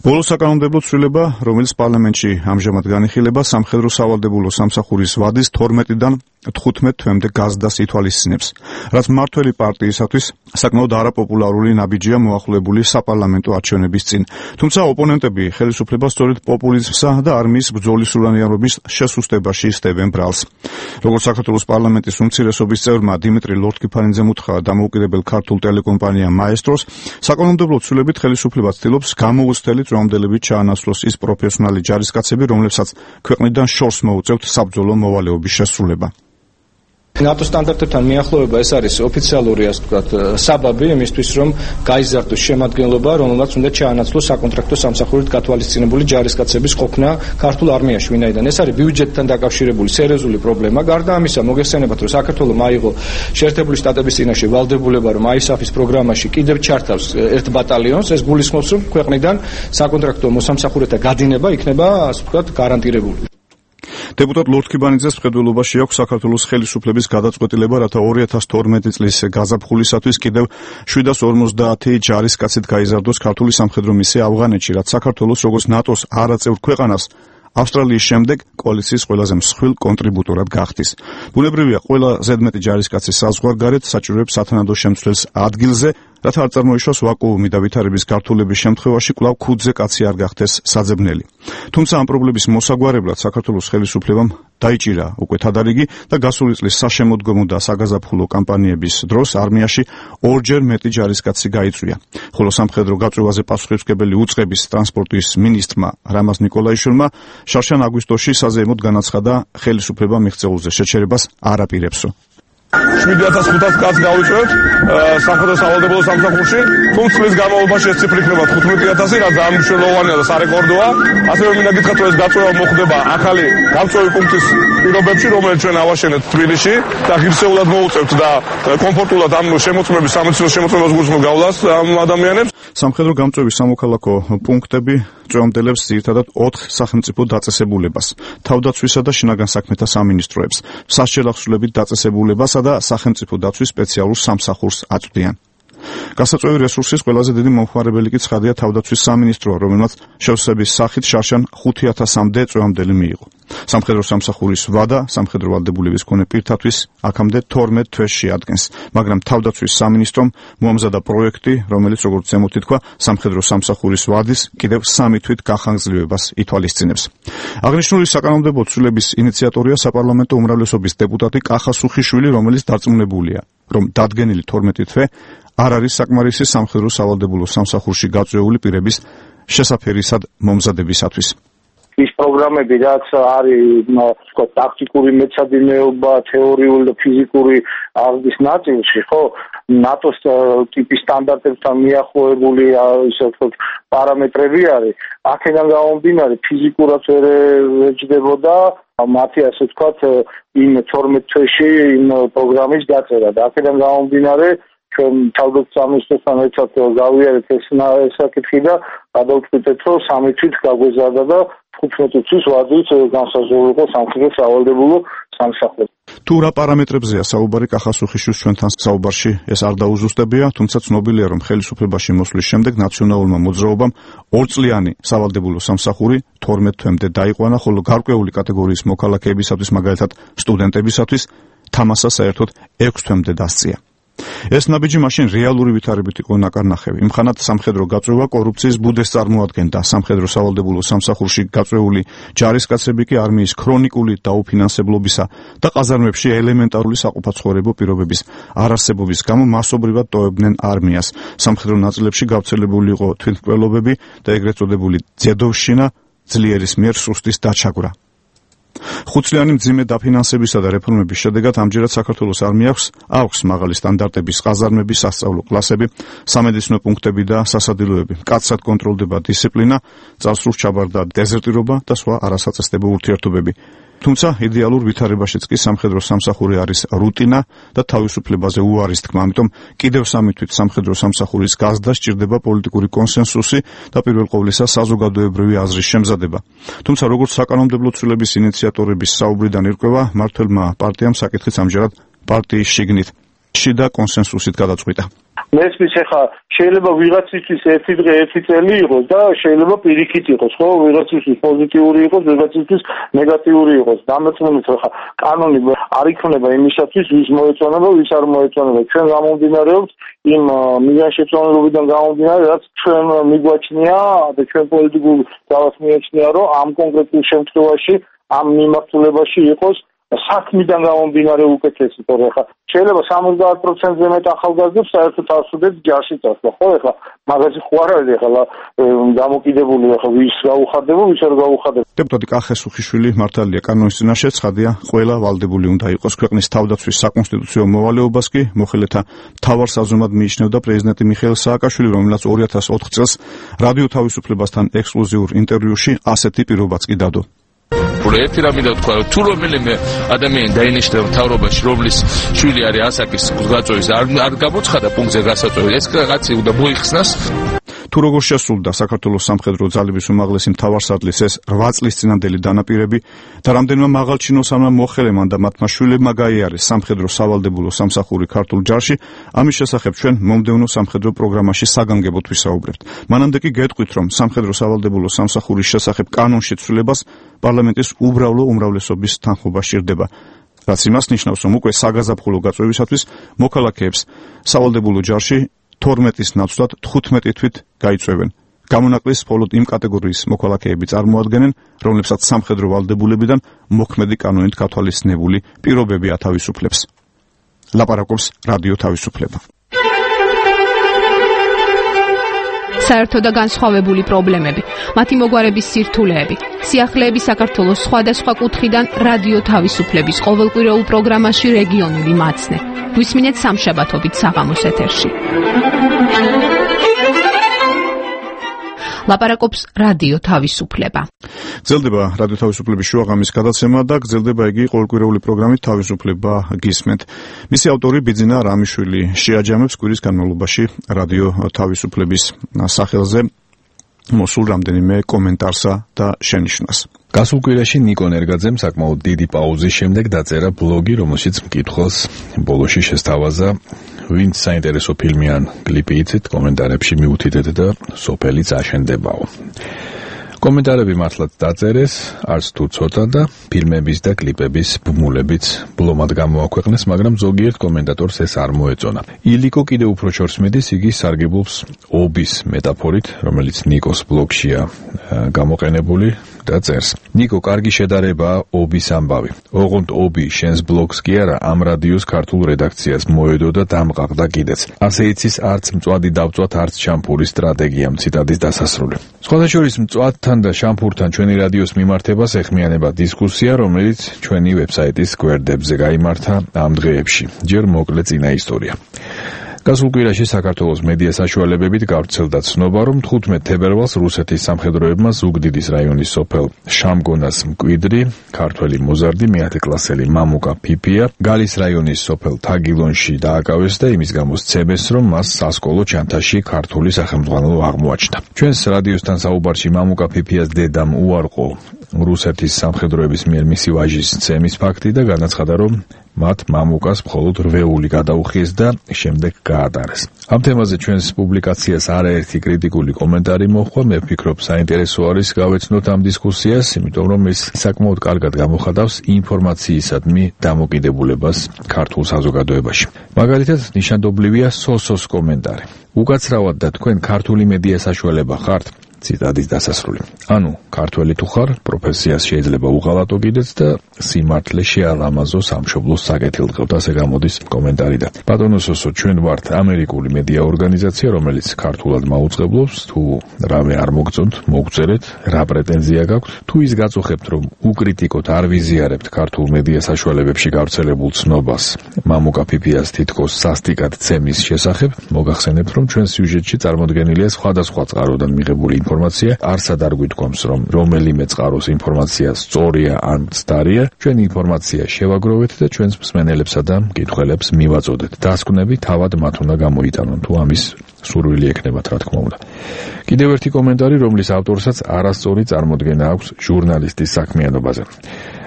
ბოლო საკანონმდებლო ცვლილება, რომელიც პარლამენტში ამჟამად განიხილება, სამხედრო სავალდებულო სამსახურის ვადის თორმეტიდან თხუთმეტ თვემდე გაზდას ითვალისწინებს, რაც მმართველი პარტიისათვის საკმაოდ არაპოპულარული ნაბიჯია მოახლოებული საპარლამენტო არჩევნების წინ. თუმცა ოპონენტები ხელისუფლებას სწორედ პოპულიზმსა და არმიის ბრძოლის სულანიანობის შესუსტებაში სდებენ ბრალს. როგორც საქართველოს პარლამენტის უმცირესობის წევრმა დიმიტრი ლორთქიფანიძემ უთხრა დამოუკიდებელ ქართულ ტელეკომპანია მაესტროს, საკანონმდებლო ცვლილებით ხელისუფლება ცდილობს გამოუცდელი წვამდელებით ჩაანაცვლოს ის პროფესიონალი ჯარისკაცები, რომლებსაც ქვეყნიდან შორს მოუწევთ საბრძოლო მოვალეობის შესრულება. ნატო სტანდარტებთან მიახლოება ეს არის ოფიციალური, ასე ვთქვათ, საბაბი იმისთვის, რომ გაიზარდოს შემადგენლობა, რომელმაც უნდა ჩაანაცვლოს საკონტრაქტო სამსახურით გათვალისწინებული ჯარისკაცების ყოფნა ქართულ არმიაში, ვინაიდან ეს არის ბიუჯეტთან დაკავშირებული სერიოზული პრობლემა. გარდა ამისა, მოგეხსენებათ, რომ საქართველოს აიღო შეერთებული შტატების წინაშე ვალდებულება, რომ აისაფის პროგრამაში კიდევ ჩართავს ერთ ბატალიონს, ეს გულისხმობს, რომ ქვეყნიდან საკონტრაქტო მოსამსახურეთა გადინება იქნება, ასე ვთქვათ, გარანტირებული. დეპუტატ ლორთქიფანიძეს მხედველობაში აქვს საქართველოს ხელისუფლების გადაწყვეტილება, რათა ორი ათას თორმეტი წლის გაზაფხულისათვის კიდევ შვიდას ორმოცდაათი ჯარისკაცით გაიზარდოს ქართული სამხედრო მისია ავღანეთში, რაც საქართველოს როგორც ნატოს არაწევრ ქვეყანას ავსტრალიის შემდეგ კოალიციის ყველაზე მსხვილ კონტრიბუტორად გახდის. ბუნებრივია, ყველა ზედმეტი ჯარისკაცი საზღვარგარეთ საჭიროებს სათანადო შემცვლელს ადგილზე, რათა არ წარმოიშვას ვაკუუმი და ვითარების გართულების შემთხვევაში კვლავ ქუდზე კაცი არ გახდეს საძებნელი. თუმცა ამ პრობლემის მოსაგვარებლად საქართველოს ხელისუფლებამ დაიჭირა უკვე თადარიგი და გასული წლის საშემოდგომო და საგაზაფხულო კამპანიების დროს არმიაში ორჯერ მეტი ჯარისკაცი გაიწვია. ხოლო სამხედრო გაწვევაზე პასუხისმგებელი უწყების ტრანსპორტის მინისტრმა რამაზ ნიკოლაიშვილმა შარშან აგვისტოში საზეიმოდ განაცხადა, ხელისუფლება მიღწეულზე შეჩერებას არ აპირებსო. შვიდ ათას ხუთას კაცს გავიწევთ სამხედრო სავალდებულო სამსახურში, თუმცა წლის განმავლობაში ეს ციფრი იქნება თხუთმეტი ათასი, რაც ძალიან მნიშვნელოვანია და სარეკორდოა. ასევე მინდა გითხრათ, რომ ეს გაწვევა მოხდება ახალი გამწვევი პუნქტის პირობებში, რომელიც ჩვენ ავაშენეთ თბილისში და ღირსეულად მოუწევთ და კომფორტულად ამ შემოწმების სამედიცინო შემოწმებას გულისხმობ გავლას ამ ადამიანებს. სამხედრო გამწვევის სამოქალაქო პუნქტები წვევამდელებს ძირითადად ოთხ სახელმწიფო დაწესებულებას, თავდაცვისა და შინაგან საქმეთა სამინისტროებს, სასჯელახსოვრებით დაწესებულებასა და სახელმწიფო დაცვის სპეციალურ სამსახურს აწვდიან. გასაწვევი რესურსის ყველაზე დიდი მომხმარებელი კი ცხადია თავდაცვის სამინისტროა, რომელმაც შევსების სახით შარშან ხუთი ათასამდე წვევამდელი მიიღო. სამხედრო სამსახურის ვადა სამხედრო ვალდებულების მქონე პირთათვის აქამდე თორმეტ თვეს შეადგენს, მაგრამ თავდაცვის სამინისტრომ მოამზადა პროექტი, რომელიც როგორც ზემოთ ითქვა, სამხედრო სამსახურის ვადის კიდევ სამი თვით გახანგრძლივებას ითვალისწინებს. აღნიშნული საკანონმდებლო ცვლილების ინიციატორია საპარლამენტო უმრავლესობის დეპუტატი კახა სუხიშვილი, რომელიც დარწმუნებულია, რომ დადგენილი თორმეტი თვე არ არის საკმარისი სამხედრო სავალდებულო სამსახურში გაწვეული პირების შესაფერისად მომზადებისათვის. ის პროგრამები, რაც არის, თქო, ტაქტიკური მეცადინეობა, თეორიული და ფიზიკური აღზრდის ნაწილში, ხო, ნატოს ტიპის სტანდარტებთან მიახლოებული, ისე ვთქვათ, პარამეტრები არის. აქედან გამომდინარე, ფიზიკურად ვერ ეჯდებოდა მათი, ასე ვთქვათ, იმ თორმეტ თვეში იმ პროგრამის დაწერა და აქედან გამომდინარე ჩვენ თავდაცვის სამინისტროსთან ერთად გავიარეთ ეს საკითხი და გადავწყვიტეთ, რომ სამი თვით გაგვეზარდა და თხუთმეტი თვის ვადით განსაზღვრული იყო სამხედრო სავალდებულო სამსახური. თუ რა პარამეტრებზეა საუბარი კახა სუხიშვილის ჩვენთან საუბარში ეს არ დაუზუსტებია, თუმცა ცნობილია, რომ ხელისუფლებაში მოსვლის შემდეგ ნაციონალურმა მოძრაობამ ორწლიანი სავალდებულო სამსახური თორმეტ თვემდე დაიყვანა, ხოლო გარკვეული კატეგორიის მოქალაქეებისათვის, მაგალითად სტუდენტებისათვის, თამასა საერთოდ ექვს თვემდე დასწია. ეს ნაბიჯი მაშინ რეალური ვითარებით იყო ნაკარნახევი. იმხანად სამხედრო გაწვევა კორუფციის ბუდეს წარმოადგენდა. სამხედრო სავალდებულო სამსახურში გაწვეული ჯარისკაცები კი არმიის ქრონიკული დაუფინანსებლობისა და ყაზარმებში ელემენტარული საყოფაცხოვრებო პირობების არარსებობის გამო მასობრივად ტოვებდნენ არმიას. სამხედრო ნაწილებში გავრცელებული იყო თვითმკვლელობები და ეგრეთ წოდებული ძედოვშინა, ძლიერის მიერ სუსტის დაჩაგვრა. ხუთწლიანი მძიმე დაფინანსებისა და რეფორმების შედეგად ამჯერად საქართველოს არმიას აქვს მაღალი სტანდარტების ყაზარმები, სასწავლო კლასები, სამედიცინო პუნქტები და სასადილოები. მკაცრად კონტროლდება დისციპლინა, წარსულს ჩაბარდა დეზერტირობა და სხვა არასაწესდებო ურთიერთობები. თუმცა იდეალურ ვითარებაშიც კი სამხედრო სამსახური არის რუტინა და თავისუფლებაზე უარის თქმა, ამიტომ კიდევ სამი თვით სამხედრო სამსახურის გაზრდა სჭირდება პოლიტიკური კონსენსუსი და პირველ ყოვლისა საზოგადოებრივი აზრის შემზადება. თუმცა როგორც საკანონმდებლო ცვლილების ინიციატორების საუბრიდან ირკვევა, მმართველმა პარტიამ საკითხიც ამჯერად პარტიის შიგნით შიდა კონსენსუსით გადაწყვიტა. მესმის ახლა შეიძლება ვიღაცისთვის ერთი დღე ერთი წელი იყოს და შეიძლება პირიქით იყოს, ხო, ვიღაცისთვის პოზიტიური იყოს, ვიღაცისთვის ნეგატიური იყოს. დამეწმუნდით, ახლა კანონი არ იქნება იმისათვის, ვის მოეწონება, ვის არ მოეწონება. ჩვენ გამომდინარეობს იმ მიზანშეწონილობიდან გამომდინარე, რაც ჩვენ მიგვაჩნია და ჩვენ პოლიტიკურ ძალას მიაჩნია, რომ ამ კონკრეტულ შემთხვევაში, ამ მიმართულებაში იყოს საქმიდან გამომდინარე უკეთესი, თორე ხა შეიძლება სამოცდაათ პროცენტზე მეტ ახალგაზრდებს საერთოდ არ სურდეთ ჯარში წასვლა, ხო, ეხლა მაგაზე ხო არ არის ეხლა დამოკიდებული, ეხლა ვის გაუხარდება, ვის არ გაუხარდება. დეპუტატი კახა სუხიშვილი მართალია კანონის წინაშე, ცხადია, ყველა ვალდებული უნდა იყოს ქვეყნის თავდაცვის საკონსტიტუციო მოვალეობას კი მოხელეთა მთავარ საზომად მიიჩნევდა პრეზიდენტი მიხეილ სააკაშვილი, რომელსაც ორი ათას ოთხ წელს რადიო თავისუფლებასთან ექსკლუზიურ ინტერვიუში ასეთი პირობაც კი დადო. ერთი რამე და თქვა, თუ რომელიმე ადამიანი დაინიშნა მთავრობაში, რომლის შვილი არის ასაკის გაწვევის არ არ გამოცხადა პუნქტზე გასაწვევი, ეს კაცი უნდა მოიხსნას. თუ როგორ შესრულდა საქართველოს სამხედრო ძალების უმაღლესი მთავარსარდლის ეს რვა წლის წინანდელი დანაპირები და რამდენმა მაღალჩინოსანმა მოხელემან და მათმა შვილებმა გაიარეს სამხედრო სავალდებულო სამსახური ქართულ ჯარში, ამის შესახებ ჩვენ მომდევნო სამხედრო პროგრამაში საგანგებოდ ვისაუბრებთ. მანამდე კი გეტყვით, რომ სამხედრო სავალდებულო სამსახურის შესახებ კანონში ცვლილებას პარლამენტის უბრალო უმრავლესობის თანხმობა სჭირდება. რაც იმას ნიშნავს, რომ უკვე საგაზაფხულო გაწვევისათვის მოქალაქეებს სავალდებულო ჯარში თორმეტის ნაცვლად თხუთმეტი თვით გაიწვევენ. გამონაკლისს მხოლოდ იმ კატეგორიის მოქალაქეები წარმოადგენენ, რომლებსაც სამხედრო ვალდებულებიდან მოქმედი კანონით გათვალისწინებული პირობები ათავისუფლებს. ლაპარაკობს რადიო თავისუფლება. საერთო და განსხვავებული პრობლემები, მათი მოგვარების სირთულეები, სიახლეები საქართველოს სხვადასხვა კუთხიდან რადიო თავისუფლების ყოველკვირეულ პროგრამაში რეგიონული მაცნე. გვისმინეთ სამშაბათობით საღამოს ეთერში. ლაპარაკობს რადიო თავისუფლება. გრძელდება რადიო თავისუფლების შუაღამის გადაცემა და გრძელდება იგი ყოველკვირეული პროგრამით თავისუფლება გისმენთ. მისი ავტორი ბიძინა რამიშვილი შეაჯამებს კვირის განმავლობაში რადიო თავისუფლების სახელზე მოსულ რამდენიმე კომენტარსა და შენიშვნას. გასულ კვირაში ნიკო ნერგაძემ საკმაოდ დიდი პაუზის შემდეგ დაწერა ბლოგი, რომელშიც მკითხველს ბოლოში შესთავაზა, ვინც საინტერესო ფილმი ან კლიპი იცით, კომენტარებში მიუთითეთ და სოფელიც აშენდებაო. კომენტარები მართლაც დაწერეს, არც თუ ცოტა და ფილმების და კლიპების ბმულებიც ბლომად გამოაქვეყნეს, მაგრამ ზოგიერთ კომენტატორს ეს არ მოეწონა. ილიკო კიდევ უფრო ჩორს მიდის, იგი სარგებლობს ობის მეტაფორით, რომელიც ნიკოს ბლოგშია გამოყენებული და წერს. ნიკო, კარგი შედარებაა ობის ამბავი. ოღონდ ობი შენს ბლოგს კი არა, ამ რადიოს ქართულ რედაქციას მოედო და დამყაღდა კიდეც. ასე იცის, არც მწვადი დავწვათ, არც შამპურის სტრატეგიამ, ციტატის დასასრული. სხვადასხვა მწვადთან და შამპურთან ჩვენი რადიოს მიმართებას ეხმიანება დისკუსია, რომელიც ჩვენი ვებსაიტის გვერდებზე გაიმართა ამ დღეებში. ჯერ მოკლე წინა ისტორია. გასულ კვირაში საქართველოს მედია საშუალებებით გავრცელდა ცნობა, რომ თხუთმეტ თებერვალს რუსეთის სამხედროებმა ზუგდიდის რაიონის სოფელ შამგონას მკვიდრი, ქართველი მოზარდი მეათე კლასელი მამუკა ფიფია, გალის რაიონის სოფელ თაგილონში დააკავეს და იმის გამო სცემეს, რომ მას სასკოლო ჩანთაში ქართული სახელმძღვანელო აღმოაჩნდა. ჩვენს რადიოსთან საუბარში მამუკა ფიფიას დედამ უარყო რუსეთის სამხედროების მიერ მისი ვაჟის სცემის ფაქტი და განაცხადა, რომ მათ მამუკას მხოლოდ რვეული გადაუხიეს და შემდეგ გაატარეს. ამ თემაზე ჩვენს პუბლიკაციას არაერთი კრიტიკული კომენტარი მოჰყვა. მე ვფიქრობ, საინტერესო არის გავეცნოთ ამ დისკუსიას, იმიტომ რომ ეს საკმაოდ კარგად გამოხატავს ინფორმაციისადმი დამოკიდებულებას ქართულ საზოგადოებაში. მაგალითად, ნიშანდობლივია სოსოს კომენტარი. უკაცრავად და თქვენ ქართული მედია საშუალება ხართ? ციტატის დასასრული. ანუ, ქართველი თუ ხარ, პროფესიას შეიძლება უღალატო კიდეც და სიმართლე შეალამაზო სამშობლოს საკეთილდღეოდ, ასე გამოდის კომენტარიდან. ბატონო სოსო, ჩვენ ვართ ამერიკული მედია ორგანიზაცია, რომელიც ქართულად მაუწყებლობს, თუ რამე არ მოგწონთ, მოგწერეთ, რა პრეტენზია გაქვთ, თუ ის გაწუხებთ, რომ უკრიტიკოთ, არ ვიზიარებთ ქართულ მედია საშუალებებში გავრცელებულ ცნობას, მამუკა ფიფიას თითქოს სასტიკად ცემის შესახებ, მოგახსენებთ, რომ ჩვენ სიუჟეტში წარმოდგენილია სხვადასხვა წყაროდან მიღებული ინფორმაცია, არსად არ გვითქვამს, რომ რომელიმე წყაროს ინფორმაცია სწორია ან მცდარია, ჩვენ ინფორმაცია შევაგროვეთ და ჩვენს მსმენელებსა და მკითხველებს მივაწოდეთ. დასკვნები თავად მათ უნდა გამოიტანონ, თუ ამის სურვილი ექნებათ, რა თქმა უნდა. კიდევ ერთი კომენტარი, რომლის ავტორსაც არასწორი წარმოდგენა აქვს ჟურნალისტის საქმიანობაზე.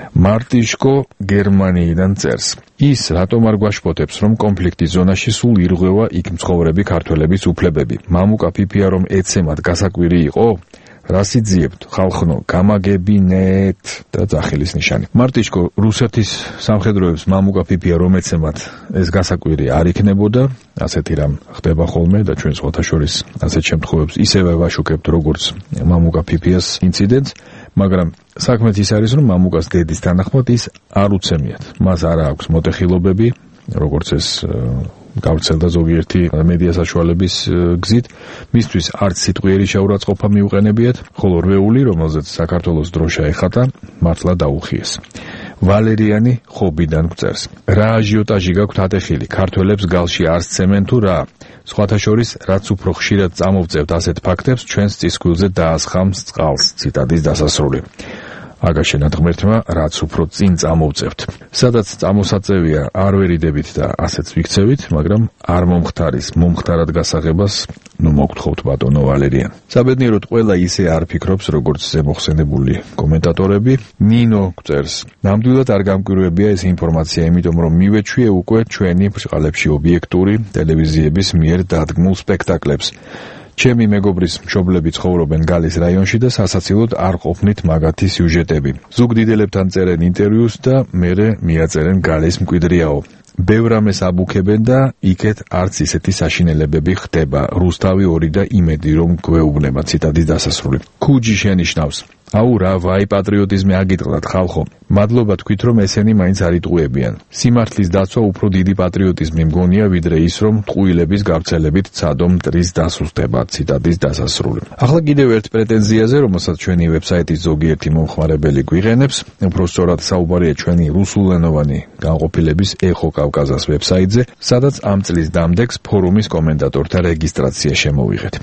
მარტიშკო გერმანიიდან წერს. ის რატომ არ გვაშფოთებს, რომ კონფლიქტის ზონაში სულ ირღვევა იქ მცხოვრები ქართველების უფლებები? მამუკა ფიფია რომ ეცემად გასაკვირი იყო? რას იძიებთ, ხალხნო, გამაგებინეთ და ძახილის ნიშანი. მარტიშკო, რუსეთის სამხედროებს მამუკა ფიფია რომ ეცემად ეს გასაკვირი არ იქნებოდა, ასეთი რამ ხდება ხოლმე და ჩვენ სხვათა შორის ასეთ შემთხვევებს ისევე ვაშუქებთ, როგორც მამუკა ფიფიას ინციდენტს, მაგრამ საქმე ის არის, რომ მამუკას დედის თანახმად ის არ უცემიათ. მას არ აქვს მოტეხილობები, როგორც ეს გავრცელდა ზოგიერთი მედია საშუალების გზით. მისთვის არც სიტყვიერი შეურაცხყოფა მიუყენებიათ, ხოლო რვეული, რომელზეც საქართველოს დროშა ეხატა, მართლა დაუხიეს. ვალერიანი ხობიდან გვწერს. რა აჟიოტაჟი გაქვთ ატეხილი? ქართველებს გალში არ სცემენ თუ რა? სხვათა შორის, რაც უფრო ხშირად წამოვწევთ ასეთ ფაქტებს, ჩვენს წისქვილზე დაასხამს წყალს. ციტატის დასასრული. აგაშენათ ღმერთმა, რაც უფრო წინ წამოვწევთ. სადაც წამოსაწევია, არ ვერიდებით და ასეც ვიქცევით, მაგრამ არ მომხდარის, მომხდარად გასაღებას, ნუ მოგთხოვთ ბატონო ვალერიან. საბედნიეროდ ყველა ისე არ ფიქრობს, როგორც ზემოხსენებული კომენტატორები. ნინო გვწერს. ნამდვილად არ გამკვირვებია ეს ინფორმაცია, იმიტომ რომ მივეჩვიე უკვე ჩვენი ბრწყალებში ობიექტური ტელევიზიების მიერ დადგმულ სპექტაკლებს. ჩემი მეგობრის მშობლები ცხოვრობენ გალის რაიონში და სასაცილოდ არ ყოფნით მაგათი სიუჟეტები. ზუგდიდელებთან წერენ ინტერვიუს და მერე მიაწერენ გალის მკვიდრიაო. ბევრ რამეს აბუქებენ და იქეთ არც ისეთი საშინელებები ხდება. რუსთავი ორი და იმედი რომ გვეუბნება. ციტატის დასასრული. ქუჯი შენიშნავს. აუ რა ვაი პატრიოტიზმი აგიტყდათ ხალხო. მადლობა თქვით რომ ესენი მაინც არ იტყუებიან. სიმართლის დაცვა უფრო დიდი პატრიოტიზმი მგონია ვიდრე ის რომ ტყუილების გავრცელებით ცადო მტრის დასუსტება. ციტატის დასასრული. ახლა კიდევ ერთ პრეტენზიაზე, რომელსაც ჩვენი ვებსაიტის ზოგიერთი მომხმარებელი გვიყენებს, უფრო სწორად საუბარია ჩვენი რუსულენოვანი განყოფილების ეხო კავკაზას ვებსაიტზე, სადაც ამ წლის დამდეგს ფორუმის კომენტატორთა რეგისტრაცია შემოვიღეთ.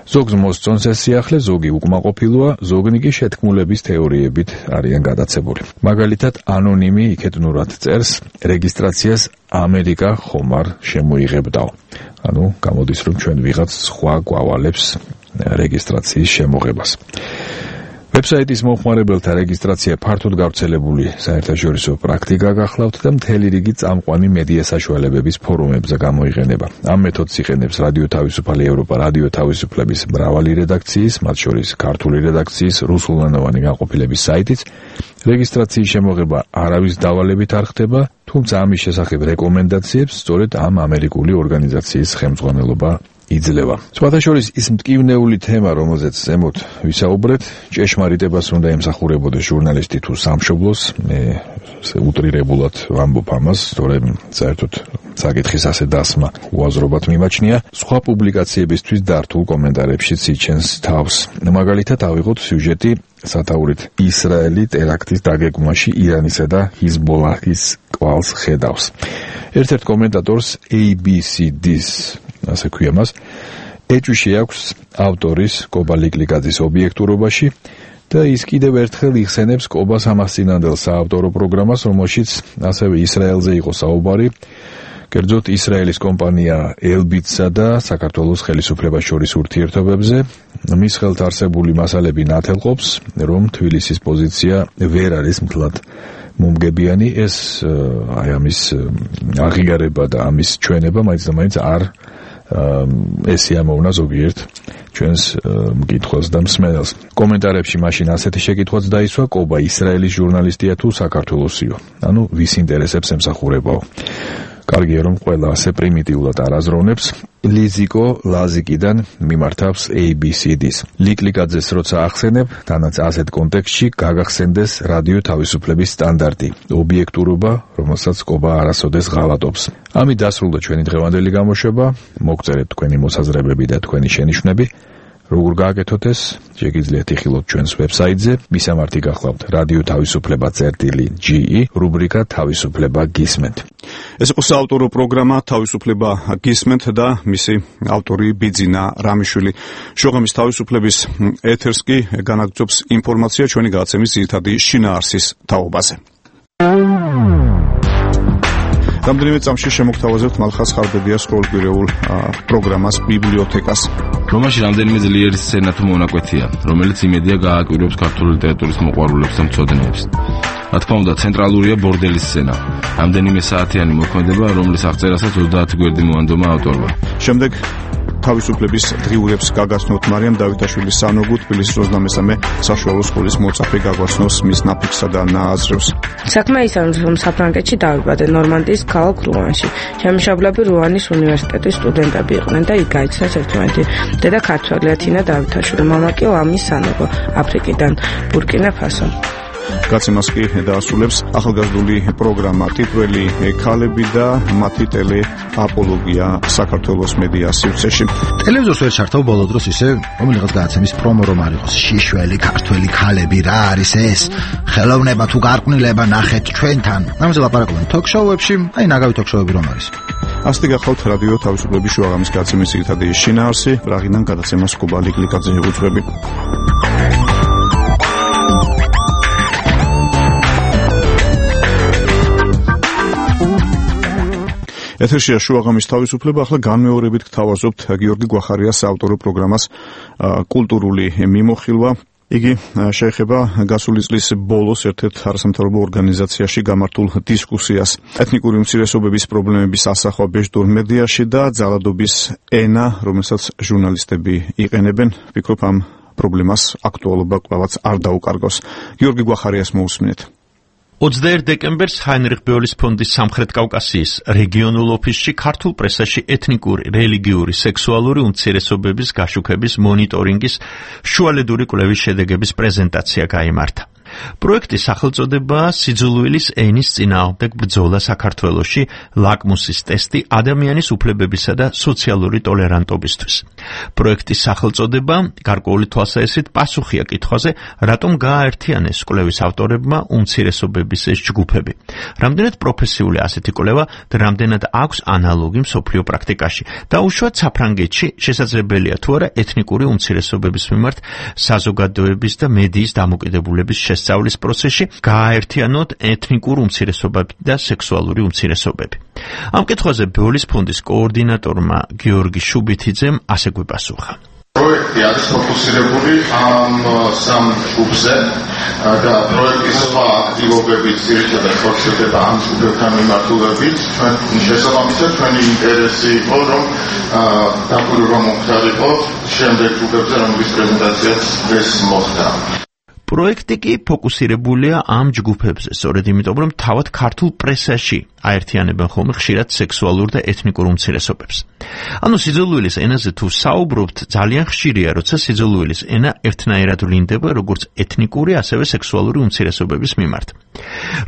ზოგს მოსწონს ეს სიახლე, ზოგი უკმაყოფილოა, ზოგნი კი შეთქმულების თეორიებით არიან გადაცებული. მაგალითად, ანონიმი იქედნურად წერს, რეგისტრაციას ამერიკა ხომ არ შემოიღებდაო. ანუ გამოდის, რომ ჩვენ ვიღაც სხვა გვავალებს რეგისტრაციის შემოღებას. ვებსაიტის მომხმარებელთა რეგისტრაცია ფართოდ გავრცელებული საერთაშორისო პრაქტიკა გახლავთ და მთელი რიგი წამყვანი მედია საშუალებების ფორუმებზე გამოიყენება. ამ მეთოდს იყენებს რადიო თავისუფალი ევროპა, რადიო თავისუფლების მრავალი რედაქციის, მათ შორის ქართული რედაქციის რუსულენოვანი განყოფილების საიტიც. რეგისტრაციის შემოღება არავის დავალებით არ ხდება, თუმცა ამის შესახებ რეკომენდაციებს სწორედ ამ ამერიკული ორგანიზაციის ხელმძღვანელობა იძლევა. სხვათა შორის ის მტკივნეული თემა, რომელზეც ზემოთ ვისაუბრეთ, ჭეშმარიტებას უნდა ემსახურებოდეს ჟურნალისტი თუ სამშობლოს, მე უტრირებულად ვამბობ ამას, თორემ საერთოდ საკითხის ასე დასმა უაზრობად მიმაჩნია. სხვა პუბლიკაციებისთვის დართულ კომენტარებშიც იჩენს თავს. მაგალითად, ავიღოთ სიუჟეტი სათაურით ისრაელი ტერაქტის დაგეგმვაში ირანისა და ჰიზბოლაჰის კვალს ხედავს. ერთ-ერთ კომენტატორს A B C D-ს ასე ქვია მას, ეჭვი აქვს ავტორის კობა ლიკლიკაძის ობიექტურობაში და ის კიდევ ერთხელ იხსენებს კობას ამასწინანდელ საავტორო პროგრამას, რომელშიც ასევე ისრაელზე იყო საუბარი, კერძოდ ისრაელის კომპანია ელბიტსა და საქართველოს ხელისუფლებას შორის ურთიერთობებზე. მის ხელთ არსებული მასალები ნათელყოფს, რომ თბილისის პოზიცია ვერ არის მთლად მომგებიანი, ეს აი ამის აღიარება და ამის ჩვენება მაინც და მაინც არ ესე ამოვნა ზოგიერთ ჩვენს მკითხველს და მსმენელს. კომენტარებში მაშინ ასეთი შეკითხვაც დაისვა, კობა ისრაელის ჟურნალისტია თუ საქართველოსიო? ანუ ვის ინტერესებს ემსახურებაო? კარგია, რომ ყველა ასე პრიმიტიულად არ აზროვნებს. ლიზიკო ლაზიკიდან მიმართავს A B C D-ს. ლიკლიკაძეს როცა ახსენებ, თანაც ასეთ კონტექსტში გაგახსენდეს რადიო თავისუფლების სტანდარტი, ობიექტურობა, რომელსაც კობა არასოდეს ღალატობს. ამით დასრულდა ჩვენი დღევანდელი გამოშვება. მოგწერეთ თქვენი მოსაზრებები და თქვენი შენიშვნები. როგორ გააკეთოთ ეს? შეგიძლიათ იხილოთ ჩვენს ვებსაიტზე. მისამართი გახლავთ რადიო თავისუფლება წერტილი G E, რუბრიკა თავისუფლება გისმენთ. ეს იყო საავტორო პროგრამა თავისუფლება გისმენთ და მისი ავტორი ბიძინა რამიშვილი. შუაღამის თავისუფლების ეთერს კი განაგრძობს ინფორმაცია ჩვენი გადაცემის ძირითადი შინაარსის თაობაზე. რამდენიმე წამში შემოგთავაზებთ მალხაზ ხარბედიას ყოველკვირეულ პროგრამას ბიბლიოთეკას. რომაში რამდენიმე ძლიერი სცენა თუ მონაკვეთია, რომელიც იმედია გააკვირვებს ქართული ლიტერატურის მოყვარულებს და მცოდნეებს. რა თქმა უნდა, ცენტრალურია ბორდელის სცენა. რამდენიმე საათიანი მოქმედება, რომლის აღწერასაც ოცდაათი გვერდი მოანდომა ავტორმა. შემდეგ თავისუფლების დღიურებს გაგაცნოთ მარიამ დავითაშვილის სანოგუ, თბილისის ოცდამესამე საშუალო სკოლის მოწაფე გაგვაცნობს მის ნაფიქსსა და ნააზრევს. საქმე ის არის, რომ საფრანგეთში დავიბადე ნორმანდიის ქალაქ რუანში. შემშაბლები რუანის უნივერსიტეტის სტუდენტები იყვნენ და იქ გაიცნეს ერთმანეთი. დედა ქართველია თინა დავითაშვილი, მამა კი ლამი სანოგუ, აფრიკიდან, ბურკინა ფასო. გაცემას კი დაასრულებს ახალგაზრდული პროგრამა ტიტველი ქალები და მათი ტელე აპოლოგია საქართველოს მედია სივრცეში. ტელევიზორს ვერ ჩართავ ბოლო დროს ისე რომელიღაც გადაცემის პრომო რომ არ იყოს შიშველი ქართველი ქალები რა არის ეს? ხელოვნება თუ გარყვნილება ნახეთ ჩვენთან. ამაზე ლაპარაკობენ თოქ-შოუებში, აი ნაგავი თოქ-შოუები რომ არის. ასეთი გახლავთ რადიო თავისუფლების შუაღამის გადაცემის ძირითადი შინაარსი, პრაღიდან გადაცემას კობა ლიკლიკაძე უძღვები. ეთერშია შუაღამის თავისუფლება. ახლა განმეორებით გთავაზობთ გიორგი გვახარიას საავტორო პროგრამას კულტურული მიმოხილვა. იგი შეეხება გასული წლის ბოლოს ერთ-ერთ არასამთავრობო ორგანიზაციაში გამართულ დისკუსიას ეთნიკური უმცირესობების პრობლემების ასახვა ბეჭდურ მედიაში და ძალადობის ენა, რომელსაც ჟურნალისტები იყენებენ. ვფიქრობ, ამ პრობლემას აქტუალობა კვლავაც არ დაუკარგავს. გიორგი გვახარიას მოусმინეთ. ოცდაერთი დეკემბერს ჰაინრიხ ბეოლის ფონდის სამხრეთ კავკასიის რეგიონულ ოფისში ქართულ პრესაში ეთნიკური, რელიგიური, სექსუალური უმცირესობების გაშუქების მონიტორინგის შუალედური კვლევის შედეგების პრეზენტაცია გაიმართა. პროექტის სახელწოდებაა სიძულვილის ენის წინააღმდეგ ბრძოლა საქართველოში, ლაკმუსის ტესტი ადამიანის უფლებებისა და სოციალური ტოლერანტობისთვის. პროექტის სახელწოდება გარკვეული თვალსაჩინო პასუხია კითხვაზე, რატომ გააერთიანეს კვლევის ავტორებმა უმცირესობების ეს ჯგუფები. რამდენად პროფესიული ასეთი კვლევა და რამდენად აქვს ანალოგი მსოფლიო პრაქტიკაში. და უშუალოდ საფრანგეთში შესაძლებელია თუ არა ეთნიკური უმცირესობების მიმართ საზოგადოების და მედიის დამოკიდებულების შესწავლის პროცესში გააერთიანოთ ეთნიკურ უმცირესობები და სექსუალური უმცირესობები. ამ კითხვაზე ბეოლის ფონდის კოორდინატორმა გიორგი შუბითიძემ ასე გვიპასუხა. პროექტი არის ფოკუსირებული ამ სამ ჯგუფზე და პროექტის სხვა აქტივობებით ძირითადად ხორციელდება ამ ჯგუფებთან მიმართულებით. ჩვენ შესაბამისად ჩვენი ინტერესი იყო, რომ დაკვირვება მომხდარიყო შემდეგ ჯგუფებზე, რომლის პრეზენტაციაც დღეს მოხდა. პროექტი კი ფოკუსირებულია ამ ჯგუფებზე, სწორედ იმიტომ, რომ თავად ქართულ პრესაში აერთიანებენ ხოლმე ხშირად სექსუალურ და ეთნიკურ უმცირესობებს. ანუ სიძულვილის ენაზე თუ საუბრობთ, ძალიან ხშირია, როცა სიძულვილის ენა ერთნაირად ვლინდება როგორც ეთნიკური, ასევე სექსუალური უმცირესობების მიმართ.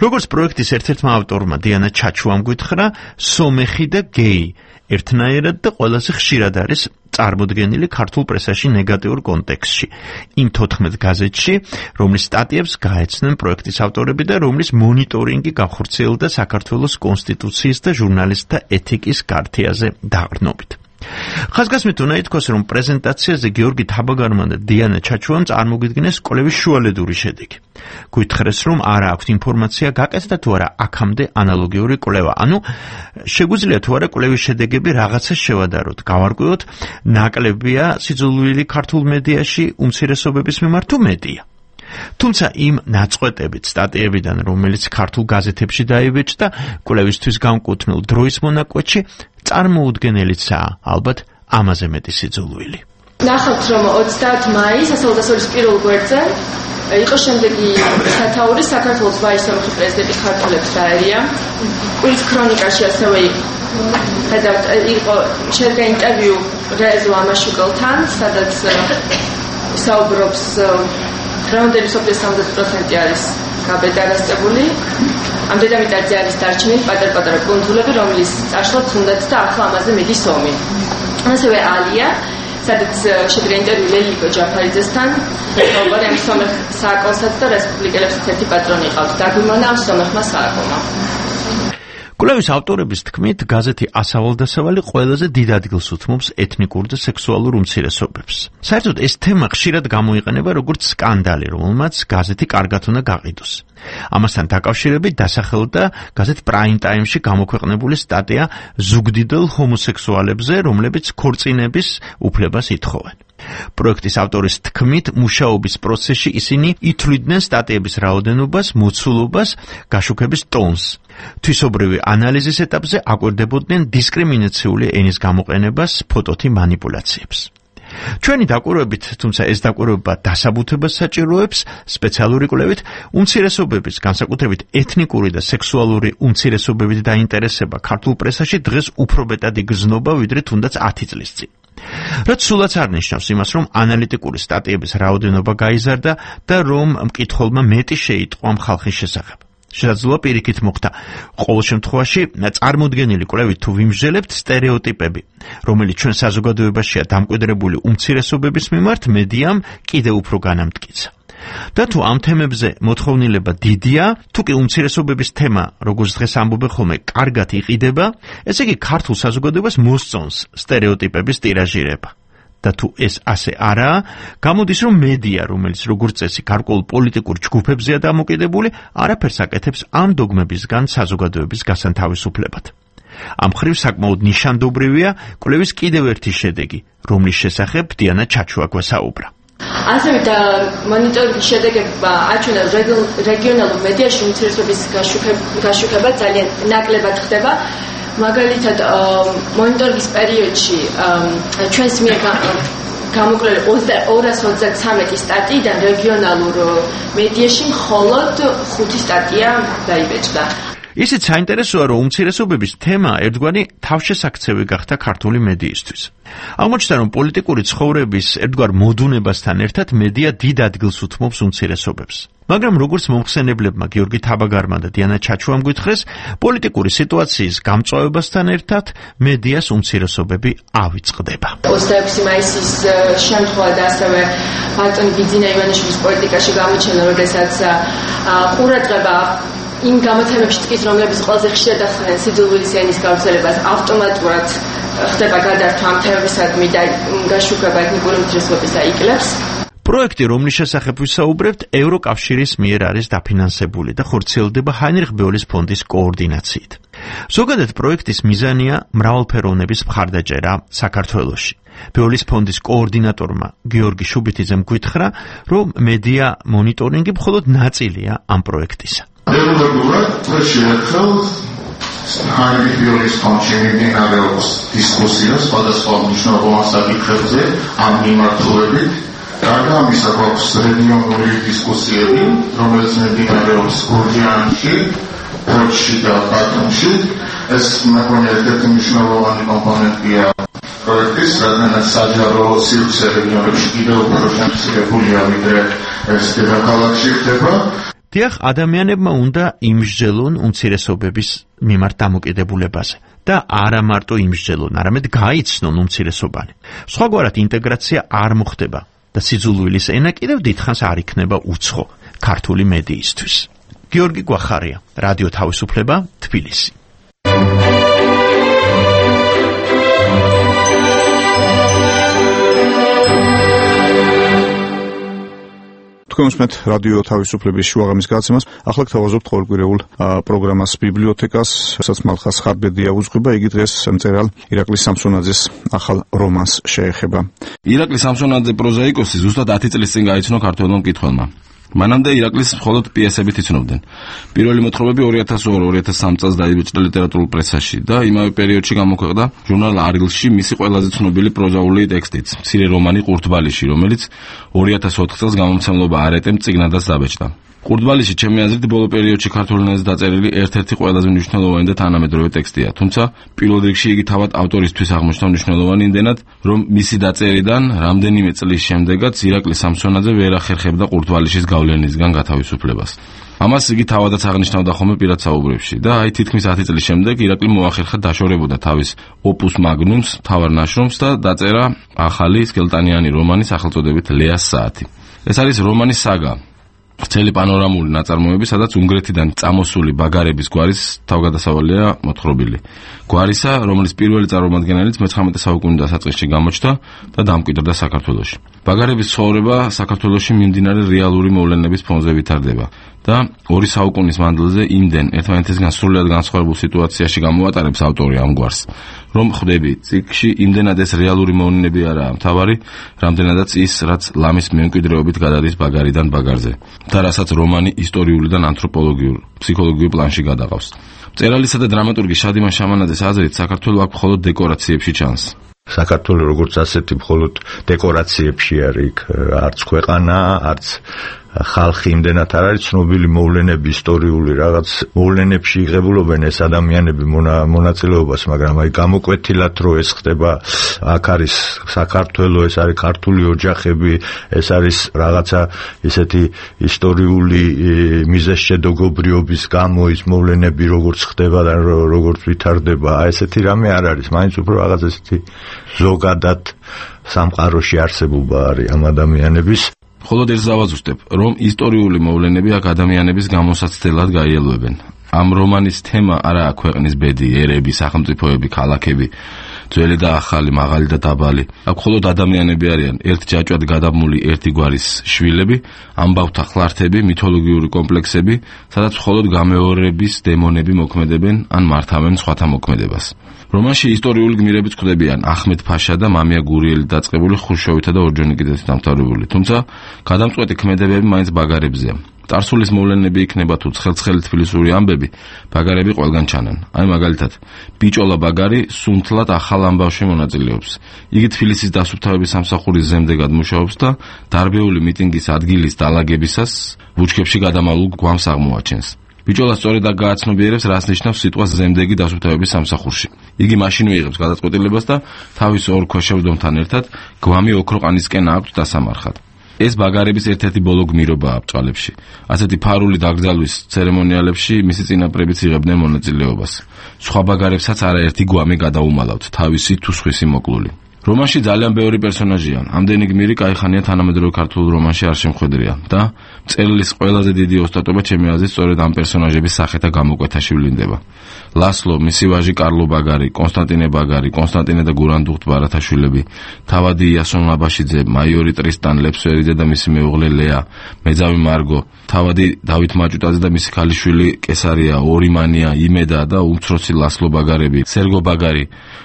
როგორც პროექტის ერთ-ერთმა ავტორმა დიანა ჩაჩუამ გითხრა, სომეხი და გეი ერთნაირად და ყველაზე ხშირად არის წარმოდგენილი ქართულ პრესაში ნეგატიურ კონტექსტში. იმ თოთხმეტ გაზეთში, რომლის სტატიებს გაეცნენ პროექტის ავტორები და რომლის მონიტორინგი განხორციელდა საქართველოს კონსტიტუციის და ჟურნალისტთა ეთიკის ქართიაზე დაყრდნობით. ხაზგასმით უნდა ითქვას, რომ პრეზენტაციაზე გიორგი თაბაგარმა და დიანა ჩაჩუამ წარმოგიდგინეს კვლევის შუალედური შედეგი. გითხრეს, რომ არა აქვთ ინფორმაცია გაკეთდა თუ არა აქამდე ანალოგიური კვლევა. ანუ შეგვიძლია თუ არა კვლევის შედეგები რაღაცას შევადაროთ, გავარკვიოთ, ნაკლებია სიძულვილი ქართულ მედიაში უმცირესობების მიმართ თუ მედია. თუმცა იმ ნაწყვეტებით სტატიებიდან, რომელიც ქართულ გაზეთებში დაიბეჭდა, კვლევისთვის განკუთვნილ დროის მონაკვეთში წარმოუდგენელიცაა ალბათ ამაზე მეტი სიძულვილი. ნახავთ, რომ ოცდაათი მაისს ასალდასოლის პირველ გვერდზე იყო შემდეგი სათაური საქართველოს ვაისომხი პრეზიდენტი ქართველებს დაერია. კვირის ქრონიკაში ასევე ხედავთ, იყო შედგა ინტერვიუ რეზო ამაშუკელთან, სადაც საუბრობს რამდენი სოფლის სამოცდაათი პროცენტი არის გაბედარასებული. ამ დედამიწაზე არის დარჩენილი პატარ-პატარა კუნძულები, რომლის წაშლაც უნდათ და ახლა ამაზე მედის ომი. ასევე ალია, სადაც შედგა ინტერვიუ ლელიკო ჯაფარიძესთან, საუბარი ამ სომეხ სააკონსაც და რესპუბლიკელებსაც ერთი პატრონი ყავთ. დაგვიმონა ამ სომეხმა სააკონმა. კვლევის ავტორების თქმით, გაზეთი ასავალ-დასავალი ყველაზე დიდ ადგილს უთმობს ეთნიკურ და სექსუალურ უმცირესობებს. საერთოდ ეს თემა ხშირად გამოიყენება როგორც სკანდალი, რომელმაც გაზეთი კარგად უნდა გაყიდოს. ამასთან დაკავშირებით დასახელდა გაზეთ პრაიმ ტაიმში გამოქვეყნებული სტატია ზუგდიდელ ჰომოსექსუალებზე, რომლებიც ქორწინების უფლებას ითხოვენ. პროექტის ავტორის თქმით, მუშაობის პროცესში ისინი ითვლიდნენ სტატიების რაოდენობას, მოცულობას, გაშუქების ტონს. თვისობრივი ანალიზის ეტაპზე აკვირდებოდნენ დისკრიმინაციული ენის გამოყენებას, ფოტოთი მანიპულაციებს. ჩვენი დაკვირვებით, თუმცა ეს დაკვირვება დასაბუთებას საჭიროებს, სპეციალური კვლევით უმცირესობების, განსაკუთრებით ეთნიკური და სექსუალური უმცირესობებით დაინტერესება ქართულ პრესაში დღეს უფრო მეტად იგრძნობა, ვიდრე თუნდაც ათი წლის წინ. რაც სულაც არ ნიშნავს იმას, რომ ანალიტიკური სტატიების რაოდენობა გაიზარდა და რომ მკითხველმა მეტი შეიტყვა ამ ხალხის შესახებ. შესაძლოა პირიქით მოხდა. ყოველ შემთხვევაში წარმოდგენილი კვლევით თუ ვიმსჯელებთ სტერეოტიპები, რომელიც ჩვენ საზოგადოებაშია დამკვიდრებული უმცირესობების მიმართ, მედიამ კიდევ უფრო განამტკიცა. და თუ ამ თემებზე მოთხოვნილება დიდია, თუ კი უმცირესობების თემა, როგორც დღეს ამბობენ ხოლმე, კარგად იყიდება, ესე იგი ქართულ საზოგადოებას მოსწონს სტერეოტიპების ტირაჟირება. და თუ ეს ასე არაა, გამოდის, რომ მედია, რომელიც როგორც წესი გარკვეულ პოლიტიკურ ჯგუფებზეა დამოკიდებული, არაფერს აკეთებს ამ დოგმებისგან საზოგადოების გასანთავისუფლებად. ამ მხრივ საკმაოდ ნიშანდობრივია კვლევის კიდევ ერთი შედეგი, რომლის შესახებ დიანა ჩაჩუა გვესაუბრა. ასევე და მონიტორინგის შედეგებმა აჩვენა რეგიონალურ მედიაში უმცირესობის გაშუქება ძალიან ნაკლებად ხდება. მაგალითად, მონიტორინგის პერიოდში ჩვენს მიერ გამოკვლეული ორას ოცდათრამეტი სტატიიდან რეგიონალურ მედიაში მხოლოდ ხუთი სტატია დაიბეჭდა. ისიც საინტერესოა, რომ უმცირესობების თემა ერთგვარი თავშესაქცევი გახდა ქართული მედიისთვის. აღმოჩნდა, რომ პოლიტიკური ცხოვრების ერთგვარ მოდუნებასთან ერთად მედია დიდ ადგილს უთმობს უმცირესობებს. მაგრამ როგორც მომხსენებლებმა გიორგი თაბაგარმა და დიანა ჩაჩუამ გითხრეს, პოლიტიკური სიტუაციის გამწვავებასთან ერთად მედიას უმცირესობები ავიწყდება. ოცდაექვსი მაისის შემთხვევა და ასევე ბატონი ბიძინა ივანიშვილის პოლიტიკაში გამოჩენა, როდესაც ყურადღება იმ გამოცემებში ტკის, რომლებიც ყველაზე ხშირად ახდენენ სიძულვილის ენის გავრცელებას, ავტომატურად ხდება გადართვა ამ თემებისადმი და გაშუქება ეთნიკური უმცირესობებისა იკლებს. პროექტი, რომლის შესახებ ვისაუბრებთ, ევროკავშირის მიერ არის დაფინანსებული და ხორციელდება ჰაინრიხ ბეოლის ფონდის კოორდინაციით. ზოგადად პროექტის მიზანია მრავალფეროვნების მხარდაჭერა საქართველოში. ბეოლის ფონდის კოორდინატორმა გიორგი შუბითიძემ გითხრა, რომ მედია მონიტორინგი მხოლოდ ნაწილია ამ პროექტისა. დეულობურად წელში ერთხელ ჰაინრიხ ბეოლის ფონდში მიმდინარეობს დისკუსია სხვადასხვა მნიშვნელოვან საკითხებზე ამ მიმართულებით. გარდა ამისა, გვაქვს რეგიონული დისკუსიები, რომელიც მიმდინარეობს გურჯაანში, ფოჩში და ბათუმში. ეს მეგონი ერთ-ერთი მნიშვნელოვანი კომპონენტია პროექტის, რადგანაც საჯარო სივრცე რეგიონებში კიდევ უფრო შემცირებულია, ვიდრე ეს დედაქალაქში ხდება. დიახ, ადამიანებმა უნდა იმსჯელონ უმცირესობების მიმართ დამოკიდებულებაზე და არა მარტო იმსჯელონ, არამედ გაიცნონ უმცირესობანი. სხვაგვარად ინტეგრაცია არ მოხდება და სიძულვილის ენა კიდევ დიდხანს არ იქნება უცხო ქართული მედიისთვის. გიორგი გვახარია, რადიო თავისუფლება, თბილისი. თქვენ უსმენთ რადიო თავისუფლების შუაღამის გადაცემას. ახლა გთავაზობთ ყოველკვირეულ პროგრამას ბიბლიოთეკას, სადაც მალხას ხარბედია უძღვება. იგი დღეს მწერალ ირაკლი სამსონაძის ახალ რომანს შეეხება. ირაკლი სამსონაძე პროზაიკოსი ზუსტად ათი წლის წინ გაიცნო ქართველმა მკითხველმა. მანამდე ირაკლის მხოლოდ პიესებით იცნობდნენ. პირველი მოთხრობები ორი ათას ორი ორი ათას სამი წელს დაიბეჭდა ლიტერატურულ პრესაში და იმავე პერიოდში გამოქვეყნდა ჟურნალ არილში მისი ყველაზე ცნობილი პროზაული ტექსტიც, მცირე რომანი ყურდბალიში, რომელიც ორი ათას ოთხ წელს გამომცემლობა არეტემ წიგნადაც დაბეჭდა. ყურდბალიში ჩემი აზრით ბოლო პერიოდში ქართულ ენაზე დაწერილი ერთ-ერთი ყველაზე მნიშვნელოვანი და თანამედროვე ტექსტია. თუმცა პირველ რიგში იგი თავად ავტორისთვის აღმოჩნდა მნიშვნელოვანი იმდენად, რომ მისი დაწერიდან რამდენიმე წლის შემდეგაც ირაკლი სამსონაძე ვერ ახერხებდა ყურდბალიშის გავლენისგან გათავისუფლებას. ამას იგი თავადაც აღნიშნავდა ხოლმე პირად საუბრებში და აი თითქმის ათი წლის შემდეგ ირაკლი მოახერხა დაშორებოდა თავის ოპუს მაგნუმს, თავარ ნაშრომს და დაწერა ახალი სკელტანიანი რომანი სახელწოდებით ლეას საათი. ეს არის რომანის საგა. ვრცელი პანორამული ნაწარმოები, სადაც უნგრეთიდან წამოსული ბაგარების გვარის თავგადასავალია მოთხრობილი. გვარისა, რომლის პირველი წარმომადგენელიც მეცხრამეტე საუკუნის დასაწყისში გამოჩნდა და დამკვიდრდა საქართველოში. ბაგარების ცხოვრება საქართველოში მიმდინარე რეალური მოვლენების ფონზე ვითარდება და ორი საუკუნის მანძილზე იმდენ ერთმანეთისგან სრულიად განსხვავებულ სიტუაციაში გამოატარებს ავტორი ამ გვარს, რომ ხვდები წიგნში იმდენად ეს რეალური მოვლენები არაა მთავარი, რამდენადაც ის, რაც ლამის მემკვიდრეობით გადადის ბაგარიდან ბაგარზე და რასაც რომანი ისტორიულიდან ანთროპოლოგიურ, ფსიქოლოგიურ პლანში გადაყავს. მწერალისა და დრამატურგი შადიმან შამანაძის აზრით, საქართველო აქ მხოლოდ დეკორაციებში ჩანს. საქართველო როგორც ასეთი მხოლოდ დეკორაციებში არის, არც ქვეყანა, არც ხალხი იმდენად არ არის ცნობილი მოვლენები, ისტორიული რაღაც მოვლენებში იღებულობენ ეს ადამიანები მონაწილეობას, მაგრამ აი გამოკვეთილად რო ეს ხდება, აქ არის საქართველო, ეს არის ქართული ოჯახები, ეს არის რაღაცა ისეთი ისტორიული მიზეზშედოგობრიობის გამო ის მოვლენები როგორც ხდება და როგორც ვითარდება, აი ესეთი რამე არ არის, მაინც უფრო რაღაც ესეთი ზოგადად სამყაროში არსებობა არის ამ ადამიანების. მხოლოდ ერთ დავაზუსტებ, რომ ისტორიული მოვლენები აქ ადამიანების გამოსაცდელად გაიელვებენ. ამ რომანის თემა არაა ქვეყნის ბედი, ერები, სახელმწიფოები, ქალაქები, ძველი და ახალი, მაღალი და დაბალი. აქ მხოლოდ ადამიანები არიან, ერთ ჯაჭვად გადაბმული ერთი გვარის შვილები, ამბავთა ხლართები, მითოლოგიური კომპლექსები, სადაც მხოლოდ გამეორების დემონები მოქმედებენ ან მართავენ სხვათა მოქმედებას. რომანში ისტორიული გმირებიც ხვდებიან ახმედ ფაშა და მამია გურიელი დაწყებული ხრუშჩოვითა და ორჯონიკიძეც დამთავრებული. თუმცა გადამწყვეტი ქმედებები მაინც ბაგარებზეა. წარსულის მოვლენები იქნება თუ ცხელცხელი თბილისური ამბები, ბაგარები ყველგან ჩანან. აი მაგალითად, ბიჭოლა ბაგარი სუნთლად ახალ ამბავში მონაწილეობს. იგი თბილისის დასუფთავების სამსახურის ზემდეგად მუშაობს და დარბეული მიტინგის ადგილის დალაგებისას ბუჩქებში გადამალულ გვამს აღმოაჩენს. ბიჭოლა სწორედ აქ გააცნობიერებს, რას ნიშნავს სიტყვა ზემდეგი დასუფთავების სამსახურში. იგი მაშინ მიიღებს გადაწყვეტილებას და თავის ორ ქვეშევრდომთან ერთად გვამი ოქროყანისკენ აქვთ დასამარხად. ეს ბაგარების ერთ-ერთი ბოლო გმირობაა აბჭყალებში. ასეთი ფარული დაკრძალვის ცერემონიალებში მისი წინაპრებიც იღებდნენ მონაწილეობას. სხვა ბაგარებსაც არაერთი გვამი გადაუმალავთ, თავისი თუ სხვისი მოკლული. რომანში ძალიან ბევრი პერსონაჟია. ამდენი გმირი კაიხანია თანამედროვე ქართულ რომანში არ შემხვედრია და მწერლის ყველაზე დიდი ოსტატობა ჩემი აზრით სწორედ ამ პერსონაჟების სახეთა გამოკვეთაში ვლინდება. ლასლო, მისი ვაჟი კარლო ბაგარი, კონსტანტინე ბაგარი, კონსტანტინე და გურანდუხტ ბარათაშვილები, თავადი იასონ აბაშიძე, მაიორი ტრისტან ლეფსვერიძე და მისი მეუღლე ლეა, მეძავი მარგო, თავადი დავით მაჭუტაძე და მისი ქალიშვილი კესარია, ორიმანია, იმედა და უმცროსი ლასლო ბაგარები, სერგო ბაგარი,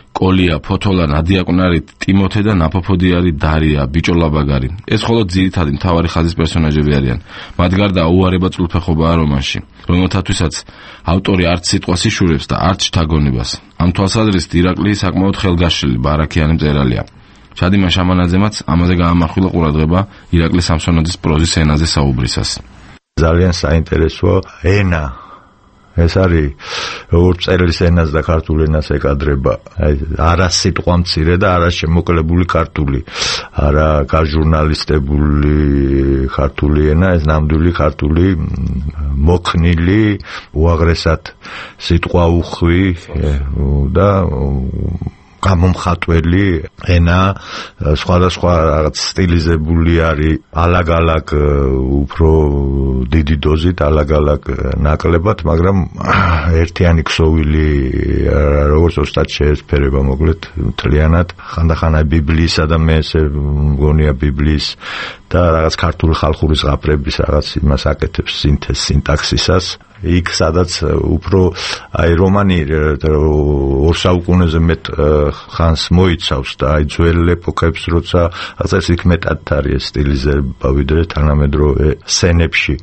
კოლია, ფოთოლა, ნადიაკვნარი, ტიმოთე და ნაფოფოდიარი დარია, ბიჭოლა ბაგარი. ეს მხოლოდ ძირითადი მთავარი ხაზის პერსონაჟები არიან. მათ გარდა უარება წულფეხობაა რომანში, რომელთათვისაც ავტორი არც სიტყვას იშურებს და არც შთაგონებას. ამ თვალსაზრისით ირაკლი საკმაოდ ხელგაშლილი, ბარაქიანი მწერალია. ჩადიმა შამანაძემაც ამაზე გაამახვილა ყურადღება ირაკლი სამსონაძის პროზის ენაზე საუბრისას. ძალიან საინტერესო ენა ეს არის როგორც წერლის ენას და ქართულ ენას ეკადრება. აი არა სიტყვა მცირე და არა შემოკლებული ქართული, არა გაჟურნალისტებული ქართული ენა, ეს ნამდვილი ქართული მოქნილი, უაღრესად სიტყვა უხვი და გამომხატველი ენა, სხვადასხვა რაღაც სტილიზებული არის, ალაგ-ალაგ უფრო დიდი დოზით, ალაგ-ალაგ ნაკლებად, მაგრამ ერთიანი ქსოვილი როგორც ოსტატ შეესფერება მოკლედ მთლიანად, ხანდახან აი ბიბლიისა და მე ესე მგონია ბიბლიის და რაღაც ქართული ხალხური ზღაპრების რაღაც იმას აკეთებს სინთეზს, სინტაქსისას. იქ სადაც უფრო აი რომანი ორ საუკუნეზე მეტ ხანს მოიცავს და აი ძველ ეპოქებს როცა ასე იქ მეტად არის სტილიზება ვიდრე თანამედროვე სცენებში.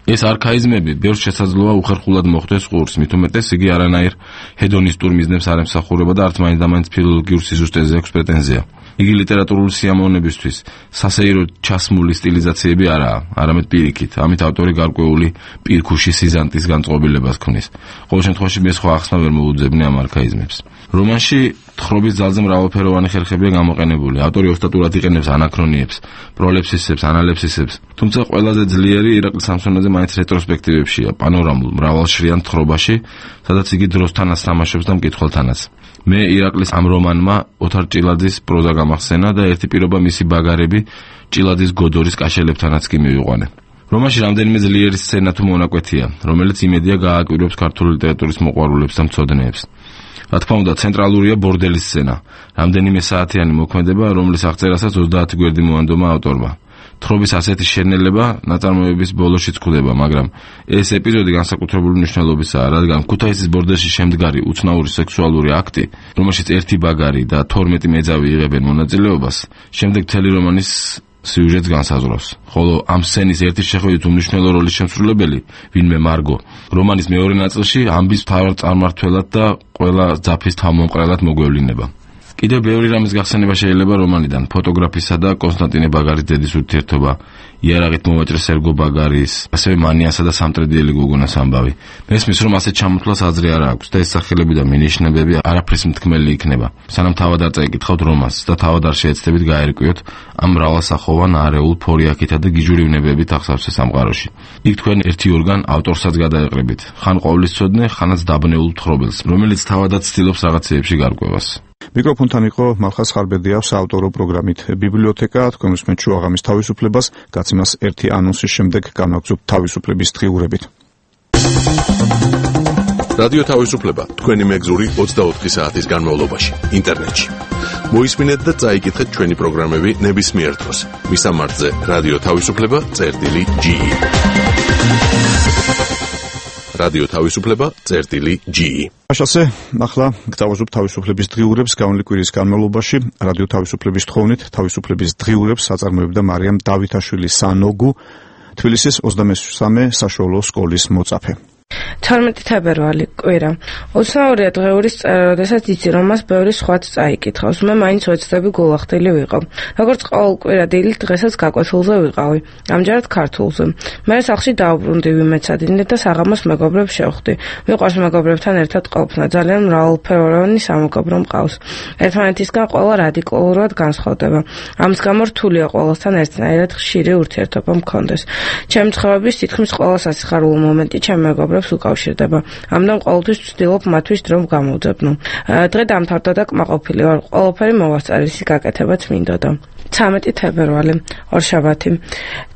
ეს არქაიზმები ბევრს შესაძლოა უხერხულად მოხვდეს ყურს, მით უმეტეს იგი არანაირ ჰედონისტურ მიზნებს არ ემსახურება და არც მაინც და მაინც ფილოლოგიურ სიზუსტეზე აქვს პრეტენზია. იგი ლიტერატურული სიამოვნებისთვის სასეირო ჩასმული სტილიზაციები არაა, არამედ პირიქით. ამით ავტორი გარკვეული პირქუში სიზანტის განწყობილებას ქმნის. ყოველ შემთხვევაში მე სხვა ახსნა ვერ მოუძებნი ამ არქაიზმებს. რომანში თხრობის ძალზე მრავალფეროვანი ხერხებია გამოყენებული. ავტორი ოსტატურად იყენებს ანაქრონიებს, პროლეფსისებს, ანალეფსისებს. თუმცა ყველაზე ძლიერი ირაკლი სამსონაძე მაინც რეტროსპექტივებშია, პანორამულ მრავალშრიან თხრობაში, სადაც იგი დროსთანაც თამაშობს და მკითხველთანაც. მე ირაკლის ამ რომანმა ოთარ ჭილაძის პროზა გამახსენა და ერთი პირობა მისი ბაგარები ჭილაძის გოდორის კაშელებთანაც კი მივიყვანე. რომანში რამდენიმე ძლიერი სცენა თუ მონაკვეთია, რომელიც იმედია გააკვირვებს ქართული ლიტერატურის მოყვარულებს და მცოდნეებს. რა თქმა უნდა, ცენტრალურია ბორდელის სცენა, რამდენიმე საათიანი მოქმედება, რომლის აღწერასაც ოცდაათი გვერდი მოანდომა ავტორმა. თხრობის ასეთი შენელება ნაწარმოების ბოლოშიც გვხვდება, მაგრამ ეს ეპიზოდი განსაკუთრებული მნიშვნელობისაა, რადგან ქუთაისის ბორდელში შემდგარი უცნაური სექსუალური აქტი, რომელშიც ერთი ბაგარი და თორმეტი მეძავი იღებენ მონაწილეობას, შემდეგ მთელი რომანის სიუჟეტს განსაზღვრავს. ხოლო ამ სცენის ერთი შეხედვით უმნიშვნელო როლის შემსრულებელი, ვინმე მარგო, რომანის მეორე ნაწილში ამბის მთავარ წარმმართველად და ყველა ძაფის თავმომყრელად მოგვევლინება. კიდევ ბევრი რამის გახსენება შეიძლება რომანიდან, ფოტოგრაფისა და კონსტანტინე ბაგარის დედის ურთიერთობა, იარაღით მოვაჭრე სერგო ბაგარის, ასევე მანიასა და სამტრედიელი გოგონას ამბავი. მესმის რომ ასეთ ჩამოთვლას აზრი არ აქვს და ეს სახელები და მინიშნებები არაფრის მთქმელი იქნება. სანამ თავად არ წაიკითხავთ რომანს და თავად არ შეეცდებით გაერკვიოთ ამ მრავალსახოვან არეულ ფორიაქითა და გიჟურივნებებით აღსავსე სამყაროში. იქ თქვენ ერთი ორგან ავტორსაც გადაეყრებით, ხან ყოვლისცოდნე, ხანაც დაბნეულ მთხრობელს, რომელიც თავადაც ცდილობს რაღაცეებში გარკვევას. მიკროფონთან იყო მალხაზ ხარბედია საავტორო პროგრამით ბიბლიოთეკა. თქვენ უსმენთ შუაღამის თავისუფლებას, გაცემას ერთი ანონსის შემდეგ განვაგრძობთ თავისუფლების დღიურებით. რადიო თავისუფლება თქვენი მეგზური ოცდაოთხი საათის განმავლობაში ინტერნეტში. მოისმინეთ და წაიკითხეთ ჩვენი პროგრამები ნებისმიერ დროს. მისამართზე რადიო თავისუფლება წერტილი ჯი. რადიო თავისუფლება წერტილი ჯი. აშასე, ახლა გთავაზობ თავისუფლების დღიურებს გავლილი კვირის განმავლობაში. რადიო თავისუფლების თხოვნით თავისუფლების დღიურებს აწარმოებდა მარიამ დავითაშვილი სანოგუ, თბილისის ოცდამესამე საშუალო სკოლის მოწაფე. თორმეტი თებერვალი კვირა. უცნაურია დღეურის წერა, როდესაც იცი რომ მას ბევრი სხვაც წაიკითხავს. მე მაინც ვეცდები გულახდილი ვიყო. როგორც ყოველ კვირა დილით დღესაც გაკვეთილზე ვიყავი. ამჯერად ქართულზე. მე სახლში დაუბრუნდი ვიმეცადინე და საღამოს მეგობრებს შევხვდი. მიყვარს მეგობრებთან ერთად ყოფნა. ძალიან მრავალფეროვანი სამეგობრო მყავს. ერთმანეთისგან ყველა რადიკალურად განსხვავდება. ამის გამო რთულია ყველასთან ერთნაირად ხშირი ურთიერთობა მქონდეს. ჩემი ცხოვრების თითქმის ყველა სასიხარულო მომენტი ჩემ მეგობრებს უკავშირდება. ამიტომ ყოველთვის ვცდილობ მათთვის დრო გამოვძებნო. დღე დამთავრდა და კმაყოფილი ვარ. ყველაფერი მოვასწარი, გაკეთებაც მინდოდა. ცამეტი თებერვალი, ორშაბათი.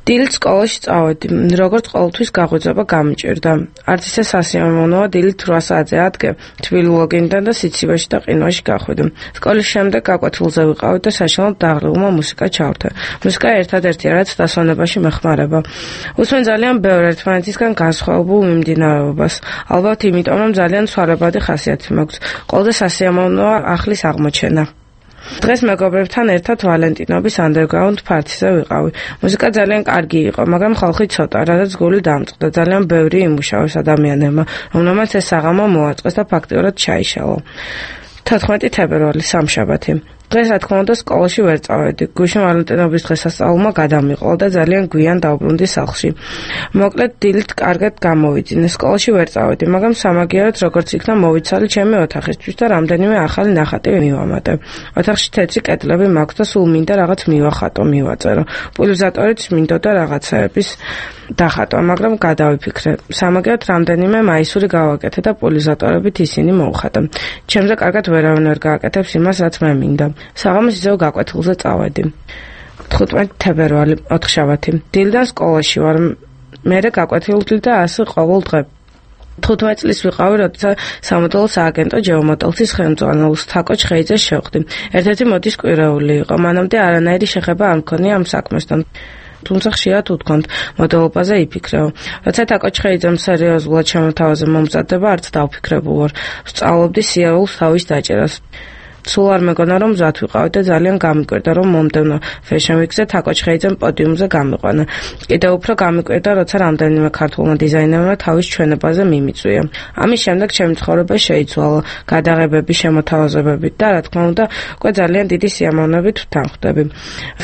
დილით სკოლაში წავედი. როგორც ყოველთვის გაღვიძება გამიჭირდა. არც ისე სასიამოვნოა დილით რვა საათზე ადგე, თბილი ლოგინიდან და სიცივეში და ყინვაში გახვიდე. სკოლის შემდეგ გაკვეთილზე ვიყავი და საშინლად დაღლილმა მუსიკა ჩავთე. მუსიკა ერთადერთია, რაც დასვენებაში მეხმარება. უსმენ ძალიან ბევრ ერთმანეთისგან განსხვავებულ მიმდინარეობას. ალბათ იმიტომ, რომ ძალიან სვარებადი ხასიათი მაქვს. ყოველდღე სასიამოვნოა ახლის აღმოჩენა. დღეს მეგობრებთან ერთად ვალენტინობის underground party-ზე ვიყავი. მუსიკა ძალიან კარგი იყო, მაგრამ ხალხი ცოტა, რადგან გული დამწყდა. ძალიან ბევრი იმუშავეს ადამიანებმა, რომელმაც ეს საღამო მოაწყეს და ფაქტიურად ჩაიშალა. თოთხმეტი თებერვალი, სამშაბათი. დღეს რა თქმა უნდა სკოლაში ვერ წავედი. გუშინ ვალენტინობის დღესასწაულმა გადამიყოლა და ძალიან გვიან დავბრუნდი სახლში. მოკლედ დილით კარგად გამოვიძინე. სკოლაში ვერ წავედი, მაგრამ სამაგიეროდ როგორც იქნა მოვიცალი ჩემი ოთახისთვის და რამდენიმე ახალი ნახატი მივამატე. ოთახში თეთრი კედლები მაქვს და სულ მინდა რაღაც მივახატო, მივაწერო. პულიზატორიც მინდოდა რაღაცაების დახატვა, მაგრამ გადავიფიქრე. სამაგიეროდ რამდენიმე მაისური გავაკეთე და პულიზატორებით ისინი მოვხატე. ჩემზე კარგად ვერავინ ვერ გააკეთებს იმას, რაც მე მინდა. საღამოს ისევ გაკვეთილზე წავედი. თხუთმეტი თებერვალი, ოთხშაბათი. დილიდან სკოლაში ვარ. მერე გაკვეთილდი და ასე ყოველ დღე. თხუთმეტი წლის ვიყავი, როცა სამოდელო სააგენტო ჯეომოდელცის ხელმძღვანელს თაკო ჩხეიძეს შევხვდი. ერთ-ერთი მოდის კვირეული იყო. მანამდე არანაირი შეხება არ მქონია ამ საქმესთან. თუმცა ხშირად უთქვამთ მოდელობაზე იფიქრეო. როცა თაკო ჩხეიძემ სერიოზულად შემოთავაზე მომზადდება, არც დავფიქრებულ ვარ. ვსწავლობდი სიარულს თავის დაჭერას. სულ არ მეგონა რომ მზად ვიყავი და ძალიან გამიკვირდა რომ მომდევნო Fashion Week-ზე თაკო ჩხეიძემ პოდიუმზე გამიყვანა. კიდევ უფრო გამიკვირდა, როცა რამდენიმე ქართულმა დიზაინერმა თავის ჩვენებაზე მიმიწვია. ამის შემდეგ ჩემი ცხოვრება შეიცვალა, გადაღებები, შემოთავაზებები და რა თქმა უნდა, უკვე ძალიან დიდი სიამოვნებით ვთანხმდები.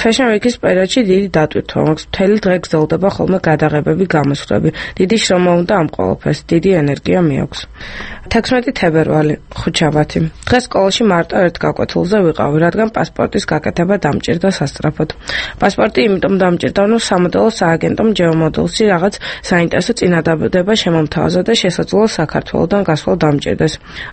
Fashion Week-ის პერიოდში დიდი დატვირთვა მაქვს. მთელი დღე გრძელდება ხოლმე გადაღებები, გამოსვლები. დიდი შრომა უნდა ამ ყველაფერს, დიდი ენერგია მიაქვს. თექვსმეტი თებერვალი, ხუთშაბათი. დღეს სკოლაში მარტო ერთ გაკვეთილზე ვიყავი, რადგან პასპორტის გაკეთება დამჭირდა სასწრაფოდ. პასპორტი იმიტომ დამჭირდა, რომ სამოდელო სააგენტომ ჯეომოდელსი რაღაც საინტერესო წინადადება შემომთავაზა და შესაძლოა საქართველოდან გასვლა დამჭირდეს.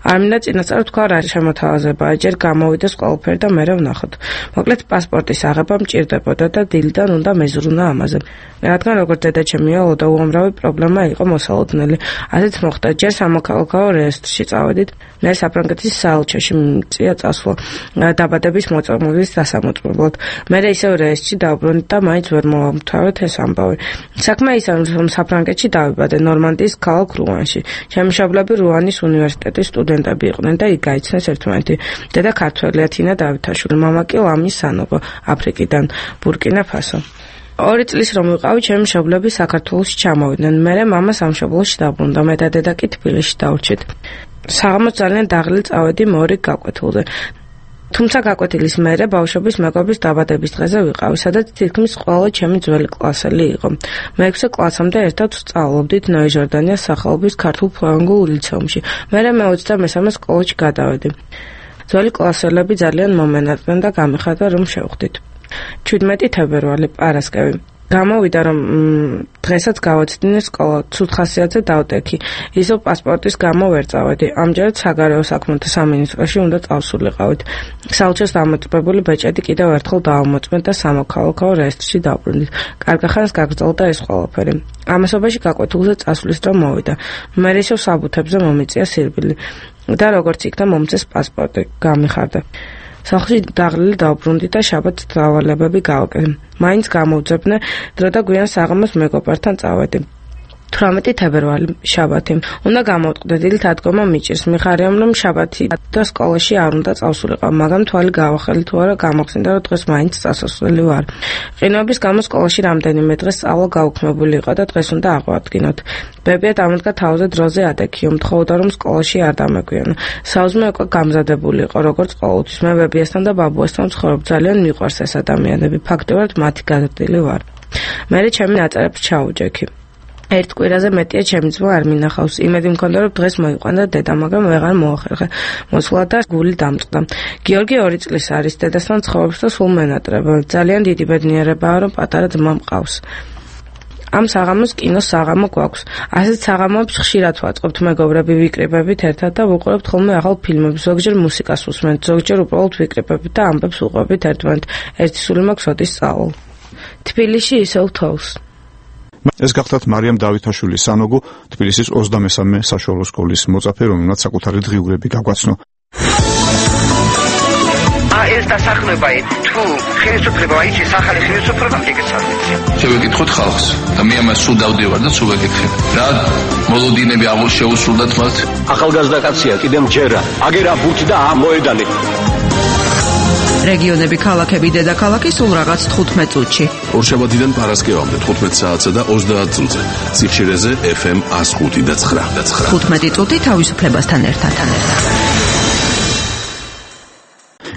არ მინდა წინასწარ თქვა რა შემოთავაზებაა, ჯერ გამოვიდეს ყველაფერი და მერე ვნახოთ. მოკლედ პასპორტის აღება მჭირდებოდა და დილიდან უნდა მეზრუნა ამაზე. რადგან როგორც დედაჩემია ლოდა უამრავი პრობლემა იყო მოსალოდნელი. ასეც მოხდა, ჯერ სამოქალაქო რეესტრში წავედით, მე საფრანგეთის საელჩოში მიწია წასვლა დაბადების მოწმობის დასამოწმებლად. მე ისევ რეესტრში დავბრუნდი და მაინც ვერ მოვამთავრეთ ეს ამბავი. საქმე ისაა, რომ საფრანგეთში დავიბადე ნორმანდიის ქალაქ რუანში. ჩემი მშობლები რუანის უნივერსიტეტის სტუდენტები იყვნენ და იქ გაიცნეს ერთმანეთი. დედა ქართველია თინა დავითაშვილი, მამა კი ლამი სანოგო, აფრიკიდან, ბურკინა ფასო. ორი წლის რომ ვიყავი, ჩემი მშობლები საქართველოში ჩამოვიდნენ. მერე მამა სამშობლოში დაბრუნდა, მე და დედა კი თბილისში დავრჩით. საღამოს ძალიან დაღლილ წავედი მორიგ გაკვეთილზე. თუმცა გაკვეთილის მერე ბავშვობის მეგობრის დაბადების დღეზე ვიყავი, სადაც თითქმის ყველა ჩემი ძველი კლასელი იყო. მეექვსე კლასამდე ერთად ვსწავლობდით ნოე-ჟორდანიას სახელობის ქართულ ფრანგულ ლიცეუმში. მერე მეოცდამესამე სკოლაში გადავედი. ძველი კლასელები ძალიან მომენატრდნენ და გამიხარდა რომ შევხვდით. ჩვიდმეტი თებერვალი, პარასკევი. გამოვიდა რომ დღესაც გავაცდინე სკოლა, ცუდ ხასიათზე დავტექი. ისევ პასპორტის გამო ვერ წავედი. ამჯერად საგარეო საქმეთა სამინისტროში უნდა წავსულიყავით. საელჩოს დამოწმებული ბეჭედი კიდევ ერთხელ დავამოწმეთ და სამოქალაქო რეესტრში დავბრუნდით. კარგახანს გაგრძელდა ეს ყველაფერი. ამასობაში გაკვეთილზე წასვლის დრო მოვიდა. მე ისევ საბუთებზე მომიწია სირბილი და როგორც იქნა მომწეს პასპორტი, გამიხარდა. სახლში დაღლილი დავბრუნდი და შაბათს დავალებები გავაკეთე. მაინც გამოვძებნე დრო და გვიან საღამოს მეგობართან წავედი. თვრამეტი თებერვალი შაბათი. უნდა გამოვტყდე დილით ადგომა მიჭირს. მიხარიამ რომ შაბათი და სკოლაში არ უნდა წავსულიყო, მაგრამ თვალი გავახელი თუ არა გამახსენდა რომ დღეს მაინც წასასვლელი ვარ. ყინვების გამო სკოლაში რამდენიმე დღეს სწავლა გაუქმებული იყო და დღეს უნდა აღვადგინოთ. ბებია დამდგა თავზე დროზე ადექიო, მთხოვდა რომ სკოლაში არ დამეგვიანო. საუზმე უკვე გამზადებული იყო, როგორც ყოველთვის. მე ბებიასთან და ბაბუასთან ვცხოვრობ, ძალიან მიყვარს ეს ადამიანები. ფაქტობრივად მათი გადადილი ვარ. მე ჩემი ნაწერებს ჩაუჯექი. ერთ კვირაზე მეტია ჩემი ძმა არ მინახავს. იმედი მქონდა რომ დღეს მოიყვანდა დედა, მაგრამ ვეღარ მოახერხე. მოსვლა და გული დამწყდა. გიორგი ორი წლის არის, დედასთან ცხოვრობს და სულ მენატრება. ძალიან დიდი ბედნიერებაა რომ პატარა ძმა მყავს. ამ საღამოს კინოს საღამო გვაქვს. ასეთ საღამოებს ხშირად ვაწყობთ მეგობრები, ვიკრიბებით ერთად და ვუყურებთ ხოლმე ახალ ფილმებს. ზოგჯერ მუსიკას ვუსმენთ, ზოგჯერ უბრალოდ ვიკრიბებით და ამბებს ვუყვებით ერთმანეთ. ერთი სული მაქვს ოდის სწავლ. თბილისში ისევ თოვს. ეს გახდათ მარიამ დავითაშვილი სანოგო, თბილისის ოცდამესამე საშუალო სკოლის მოწაფე, რომელმაც საკუთარი დღიურები გაგვაცნო. ეს დასახლება თუ ხელისუფლება აიჩის ახალი ხელისუფლება მიგეცადეთ. შევეკითხოთ ხალხს და მე ამას სულ დავდივარ და სულ ვეკითხებ. რა მოლოდინები აღარ შეუსრულდათ მათ? ახალგაზრდა კაცია, კიდე მჯერა. აგერა ბურთი და ამოედალი. რეგიონები, ქალაქები, დედაქალაქი სულ რაღაც თხუთმეტ წუთში. ორშაბათიდან პარასკევამდე თხუთმეტ საათსა და ოცდაათ წუთზე. ციხშირეზე ეფ ემ ას ხუთი და ცხრა. თხუთმეტი წუთი თავისუფლებასთან ერთად.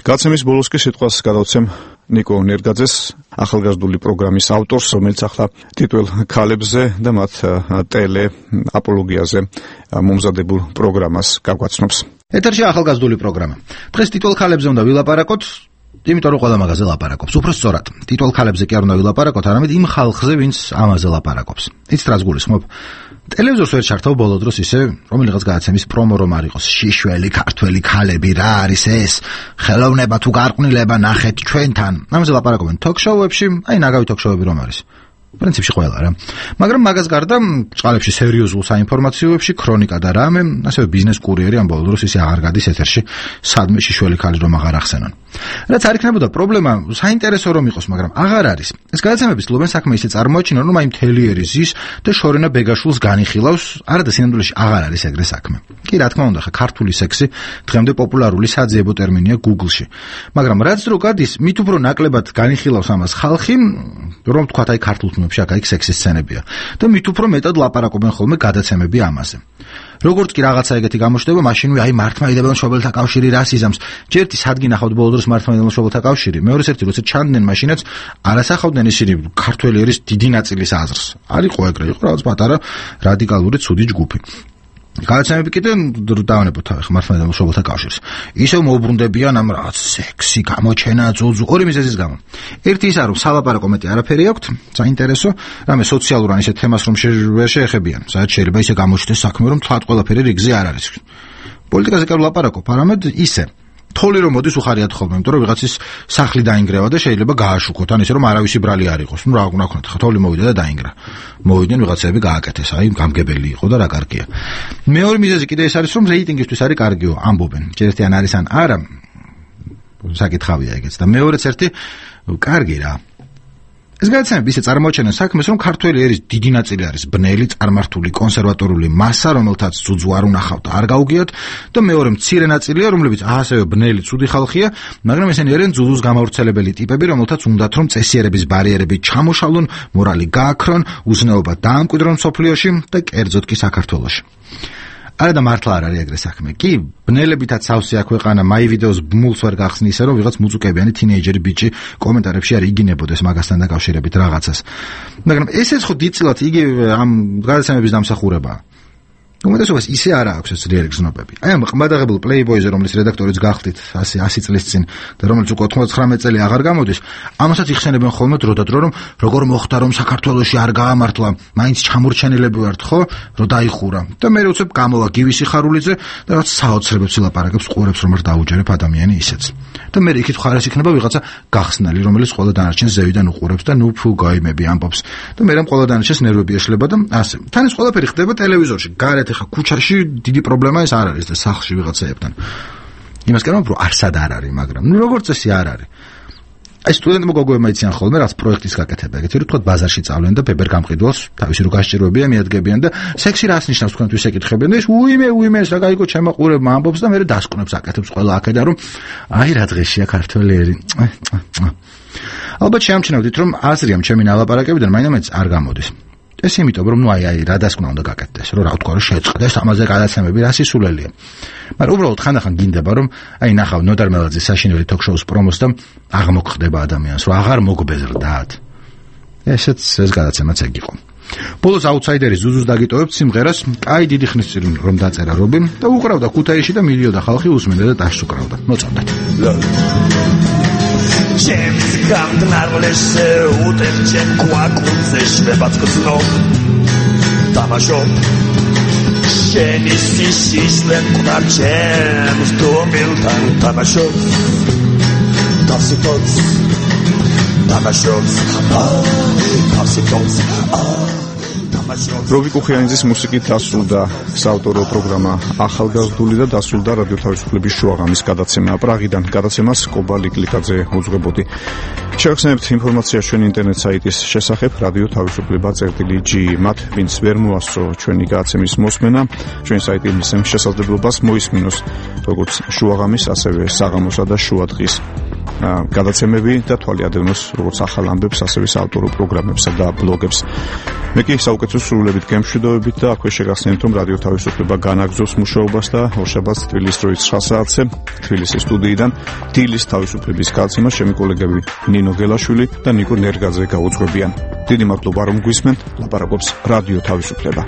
გაცემის ბოლოს კი სიტყვას გადავცემ ნიკო ნერგაძეს, ახალგაზრდული პროგრამის ავტორს, რომელიც ახლა ტიტულ ქალებზე და მათ ტელე აპოლოგიაზე მომზადებულ პროგრამას გაგვაცნობს. ეთერში ახალგაზრდული პროგრამა. დღეს ტიტულ ქალებზე უნდა ვილაპარაკოთ, იმიტომ რომ ყველა მაგაზე ლაპარაკობს. უფრო სწორად, ტიტულ ქალებზე კი არ უნდა ვილაპარაკოთ, არამედ იმ ხალხზე, ვინც ამაზე ლაპარაკობს. იცით რას გულისხმობ? ტელევიზორს ვერ ჩართავ ბოლო დროს ისე, რომელიღაც გადაცემის პრომო რომ არ იყოს. შიშველი ქართველი ქალები, რა არის ეს? ხელოვნება თუ გარყვნილება ნახეთ ჩვენთან. ამაზე ლაპარაკობენ თოქ-შოუებში, აი ნაგავი თოქ-შოუები რომ არის. პრინციპში ყველა რა. მაგრამ მაგას გარდა წყალებში სერიოზულ საინფორმაციოებში, ქრონიკა და რამე, ასევე ბიზნეს კურიერი ამ ბოლო დროს ისე აღარ გადის ეთერში, სადმე შიშველი ქალი რომ აღარ ახსენონ. რაც არ იქნებოდა პრობლემა, საინტერესო რომ იყოს, მაგრამ აღარ არის. ეს გადაცემები ცდილობენ საქმე ისე წარმოაჩინონ, რომ აი მთელიერი ზის და შორენა ბეგაშულს განიხილავს, არადა სინამდვილეში აღარ არის ეგრე საქმე. კი, რა თქმა უნდა, ხა ქართული სექსი დღემდე პოპულარული საძიებო ტერმინია Google-ში. მაგრამ რაც დრო გადის, მით უფრო ნაკლებად განიხილავს ამას ხალხი, რომ თქვათ აი ქართულ ფილმებში აქ-იქ სექსის სცენებია და მით უფრო მეტად ლაპარაკობენ ხოლმე გადაცემები ამაზე. როგორც კი რაღაცა ეგეთი გამოჩნდება, მაშინვე აი მართლმადიდებელ მშობელთა კავშირი რას იზამს. ჯერტი სადგი ნახავთ ბოლო დროს მართლმადიდებელ მშობელთა კავშირი, მეორეს ერთი როცა ჩანდნენ მაშინაც არასახავდნენ ისინი ქართველი ერის დიდი ნაწილის აზრს. არ იყო ეგრე, იყო რაღაც პატარა რადიკალური ცუდი ჯგუფი. გადაცემები კიდე დავანებოთ ახლა მართლმადიდებელ მშობელთა კავშირს. ისევ მოუბრუნდებიან ამ რაღაც სექსი, გამოჩენა, ძუძუ, ორი მიზეზის გამო. ერთი ის არის, რომ სალაპარაკო მეტი არაფერი აქვთ, საინტერესო, რამე სოციალურ ან ისეთ თემას რომ ვერ შეეხებიან. საერთოდ შეიძლება ისე გამოჩნდეს საქმე, რომ თვათ ყველაფერი რიგზე არ არის. პოლიტიკაზე კი ვლაპარაკობ, არამედ ისე თოლი რომ მოდის უხარიათ ხოლმე, იმიტომ რომ ვიღაცის სახლი დაინგრევა და შეიძლება გააშუქოთ, ან ისე რომ არავისი ბრალი არ იყოს. ნუ რა უნდა ქონოთ, ხა თოლი მოვიდა და დაინგრა. მოვიდნენ ვიღაცები გააკეთეს, აი გამგებელი იყო და რა კარგია. მეორე მიზეზი კიდე ეს არის, რომ რეიტინგისთვის არის კარგიო, ამბობენ. ჯერეთი ან არის ან არა. საკითხავია ეგეც და მეორეც ერთი კარგი რა. ეს გადაცემები ისე წარმოაჩენენ საქმეს, რომ ქართველი ერის დიდი ნაწილი არის ბნელი, წარმართული, კონსერვატორული მასა, რომელთაც ძუძუ არ უნახავთ, არ გაუგიათ და მეორე მცირე ნაწილია, რომლებიც ასევე ბნელი, ცუდი ხალხია, მაგრამ ესენი არიან ძუძუს გამავრცელებელი ტიპები, რომელთაც უნდათ რომ წესიერების ბარიერები ჩამოშალონ, მორალი გააქრონ, უზნეობა დაამკვიდრონ სოფლიოში და კერძოდ კი საქართველოში. არა და მართლა არ არის ეგრე საქმე. კი, ბნელებითაც სავსეა ქვეყანა, მაი ვიდეოს ბმულს ვერ გახსნი ისე, რომ ვიღაც მუწუკებიანი თინეიჯერი ბიჭი კომენტარებში არ იგინებოდეს მაგასთან დაკავშირებით რაღაცას. მაგრამ ესეც ხო დიდწილად იგივე ამ გადაცემების დამსახურებაა. უმეტესობას ისე არ აქვს ეს ძლიერი გზნობები. აი ამ ყმადაღებულ პლეიბოიზე, რომლის რედაქტორიც გახდით ასი ასი წლის წინ და რომელიც უკვე ოცდათხმეტ წელი აღარ გამოდის, ამასაც იხსენებენ ხოლმე დრო და დრო, რომ როგორ მოხდა რომ საქართველოში არ გაამართლა, მაინც ჩამორჩენილები ვართ, ხო, რომ დაიხურა. და მე უცებ გამოვა გივისი ხარულიძე და რაც საოცრებებს ილაპარაკებს, ყურებს რომ არ დაუჯერებ ადამიანი ისეც. და მე იქით ხარეს იქნება ვიღაცა გახსნელი, რომელიც ყველა დანარჩენს ზევიდან უყურებს და ნუ ფუ გაიმები ამბობს. და მე რამ ყველა დანარჩენს ნერვები ეშლება და ასე. თან ეს ყველაფერი ხდება ტელევიზორში, გარეთ ხა ქუჩაში დიდი პრობლემა ეს არ არის და სახლში ვიღაცაებთან. იმას კარგად რომ არსად არ არის, მაგრამ ნუ როგორც წესი არ არის. აი სტუდენტებმა გოგოებმა იციან ხოლმე რაც პროექტის გაკეთება, ეგეთი რომ თქვა ბაზარში წავლენ და ბებერ გამყიდველს თავისი რო გასჭიროებია მიადგებიან და სექსი რას ნიშნავს თქვენთვის ეკითხებიან და ეს უიმე უიმე ეს რა გაიგო ჩემაყურებმა ამბობს და მე დასკვნებს აკეთებს ყველა აქედან რომ აი რა დღეშია ქართველი ერი. ალბათ შეამჩნევდით რომ აზრიამ ჩემი ნალაპარაკებიდან მაინც არ გამოდის. ეს იმიტომ რომ ნუ აი აი რა დასკვნა უნდა გაკეთდეს, რომ რა თქვა რომ შეწყდეს ამაზე გადაცემები რა სისულელია. მაგრამ უბრალოდ ხანდახან გინდება რომ აი ნახავ ნოდარ მელაძის საშინელი ток-შოუს პრომოს და აღმოგხდება ადამიანს, რომ აღარ მოგბეზრდათ. ესეც ეს გადაცემაც ეგ იყო. ბოლოს აუთსაიდერის ზუზუს დაგიტოვებთ სიმღერას, კაი დიდი ხნის წინ რომ დაწერა რობი და უყრავდა ქუთაისში და მიდიოდა ხალხი უსმენდა და ტაშს უკრავდა. მოწონდეთ. James Gardner-les utevchen kwakutze shvebatskutsno Tamashop Sheni sisislen kunarchem Stomiltan Tamashop Tavsitots Tamashop Tavsitots რობი კუხიანიძის მუსიკით დასრულდა საავტორო პროგრამა ახალგაზრდული და დასრულდა რადიო თავისუფლების შუაღამის გადაცემა პრაღიდან. გადაცემას კობა ლიკლიკაძე უძღვებოდი. შევხსენებთ ინფორმაციას ჩვენი ინტერნეტ საიტის შესახებ რადიო თავისუფლება წერტილი ჯი. მათ ვინც ვერ მოასწრო ჩვენი გადაცემის მოსმენა, ჩვენი საიტი მისცემს შესაძლებლობას მოისმინოს როგორც შუაღამის, ასევე საღამოსა და შუადღის გადაცემები და თვალიადევნოს როგორც ახალ ამბებს, ასევე საავტორო პროგრამებსა და ბლოგებს. მე კი საუკეთესო სრულებით გემშვიდობებით და აქვე შეგახსენებთ რომ რადიო თავისუფლება განაგზობს მუშაობას და ორშაბათს თბილისის დროით ცხრა საათზე თბილისის სტუდიიდან დილის თავისუფლების გადაცემას ჩემი კოლეგები ნინო გელაშვილი და ნიკო ნერგაძე გაუძღვებიან. დიდი მადლობა რომ გვისმენთ. ლაპარაკობს რადიო თავისუფლება.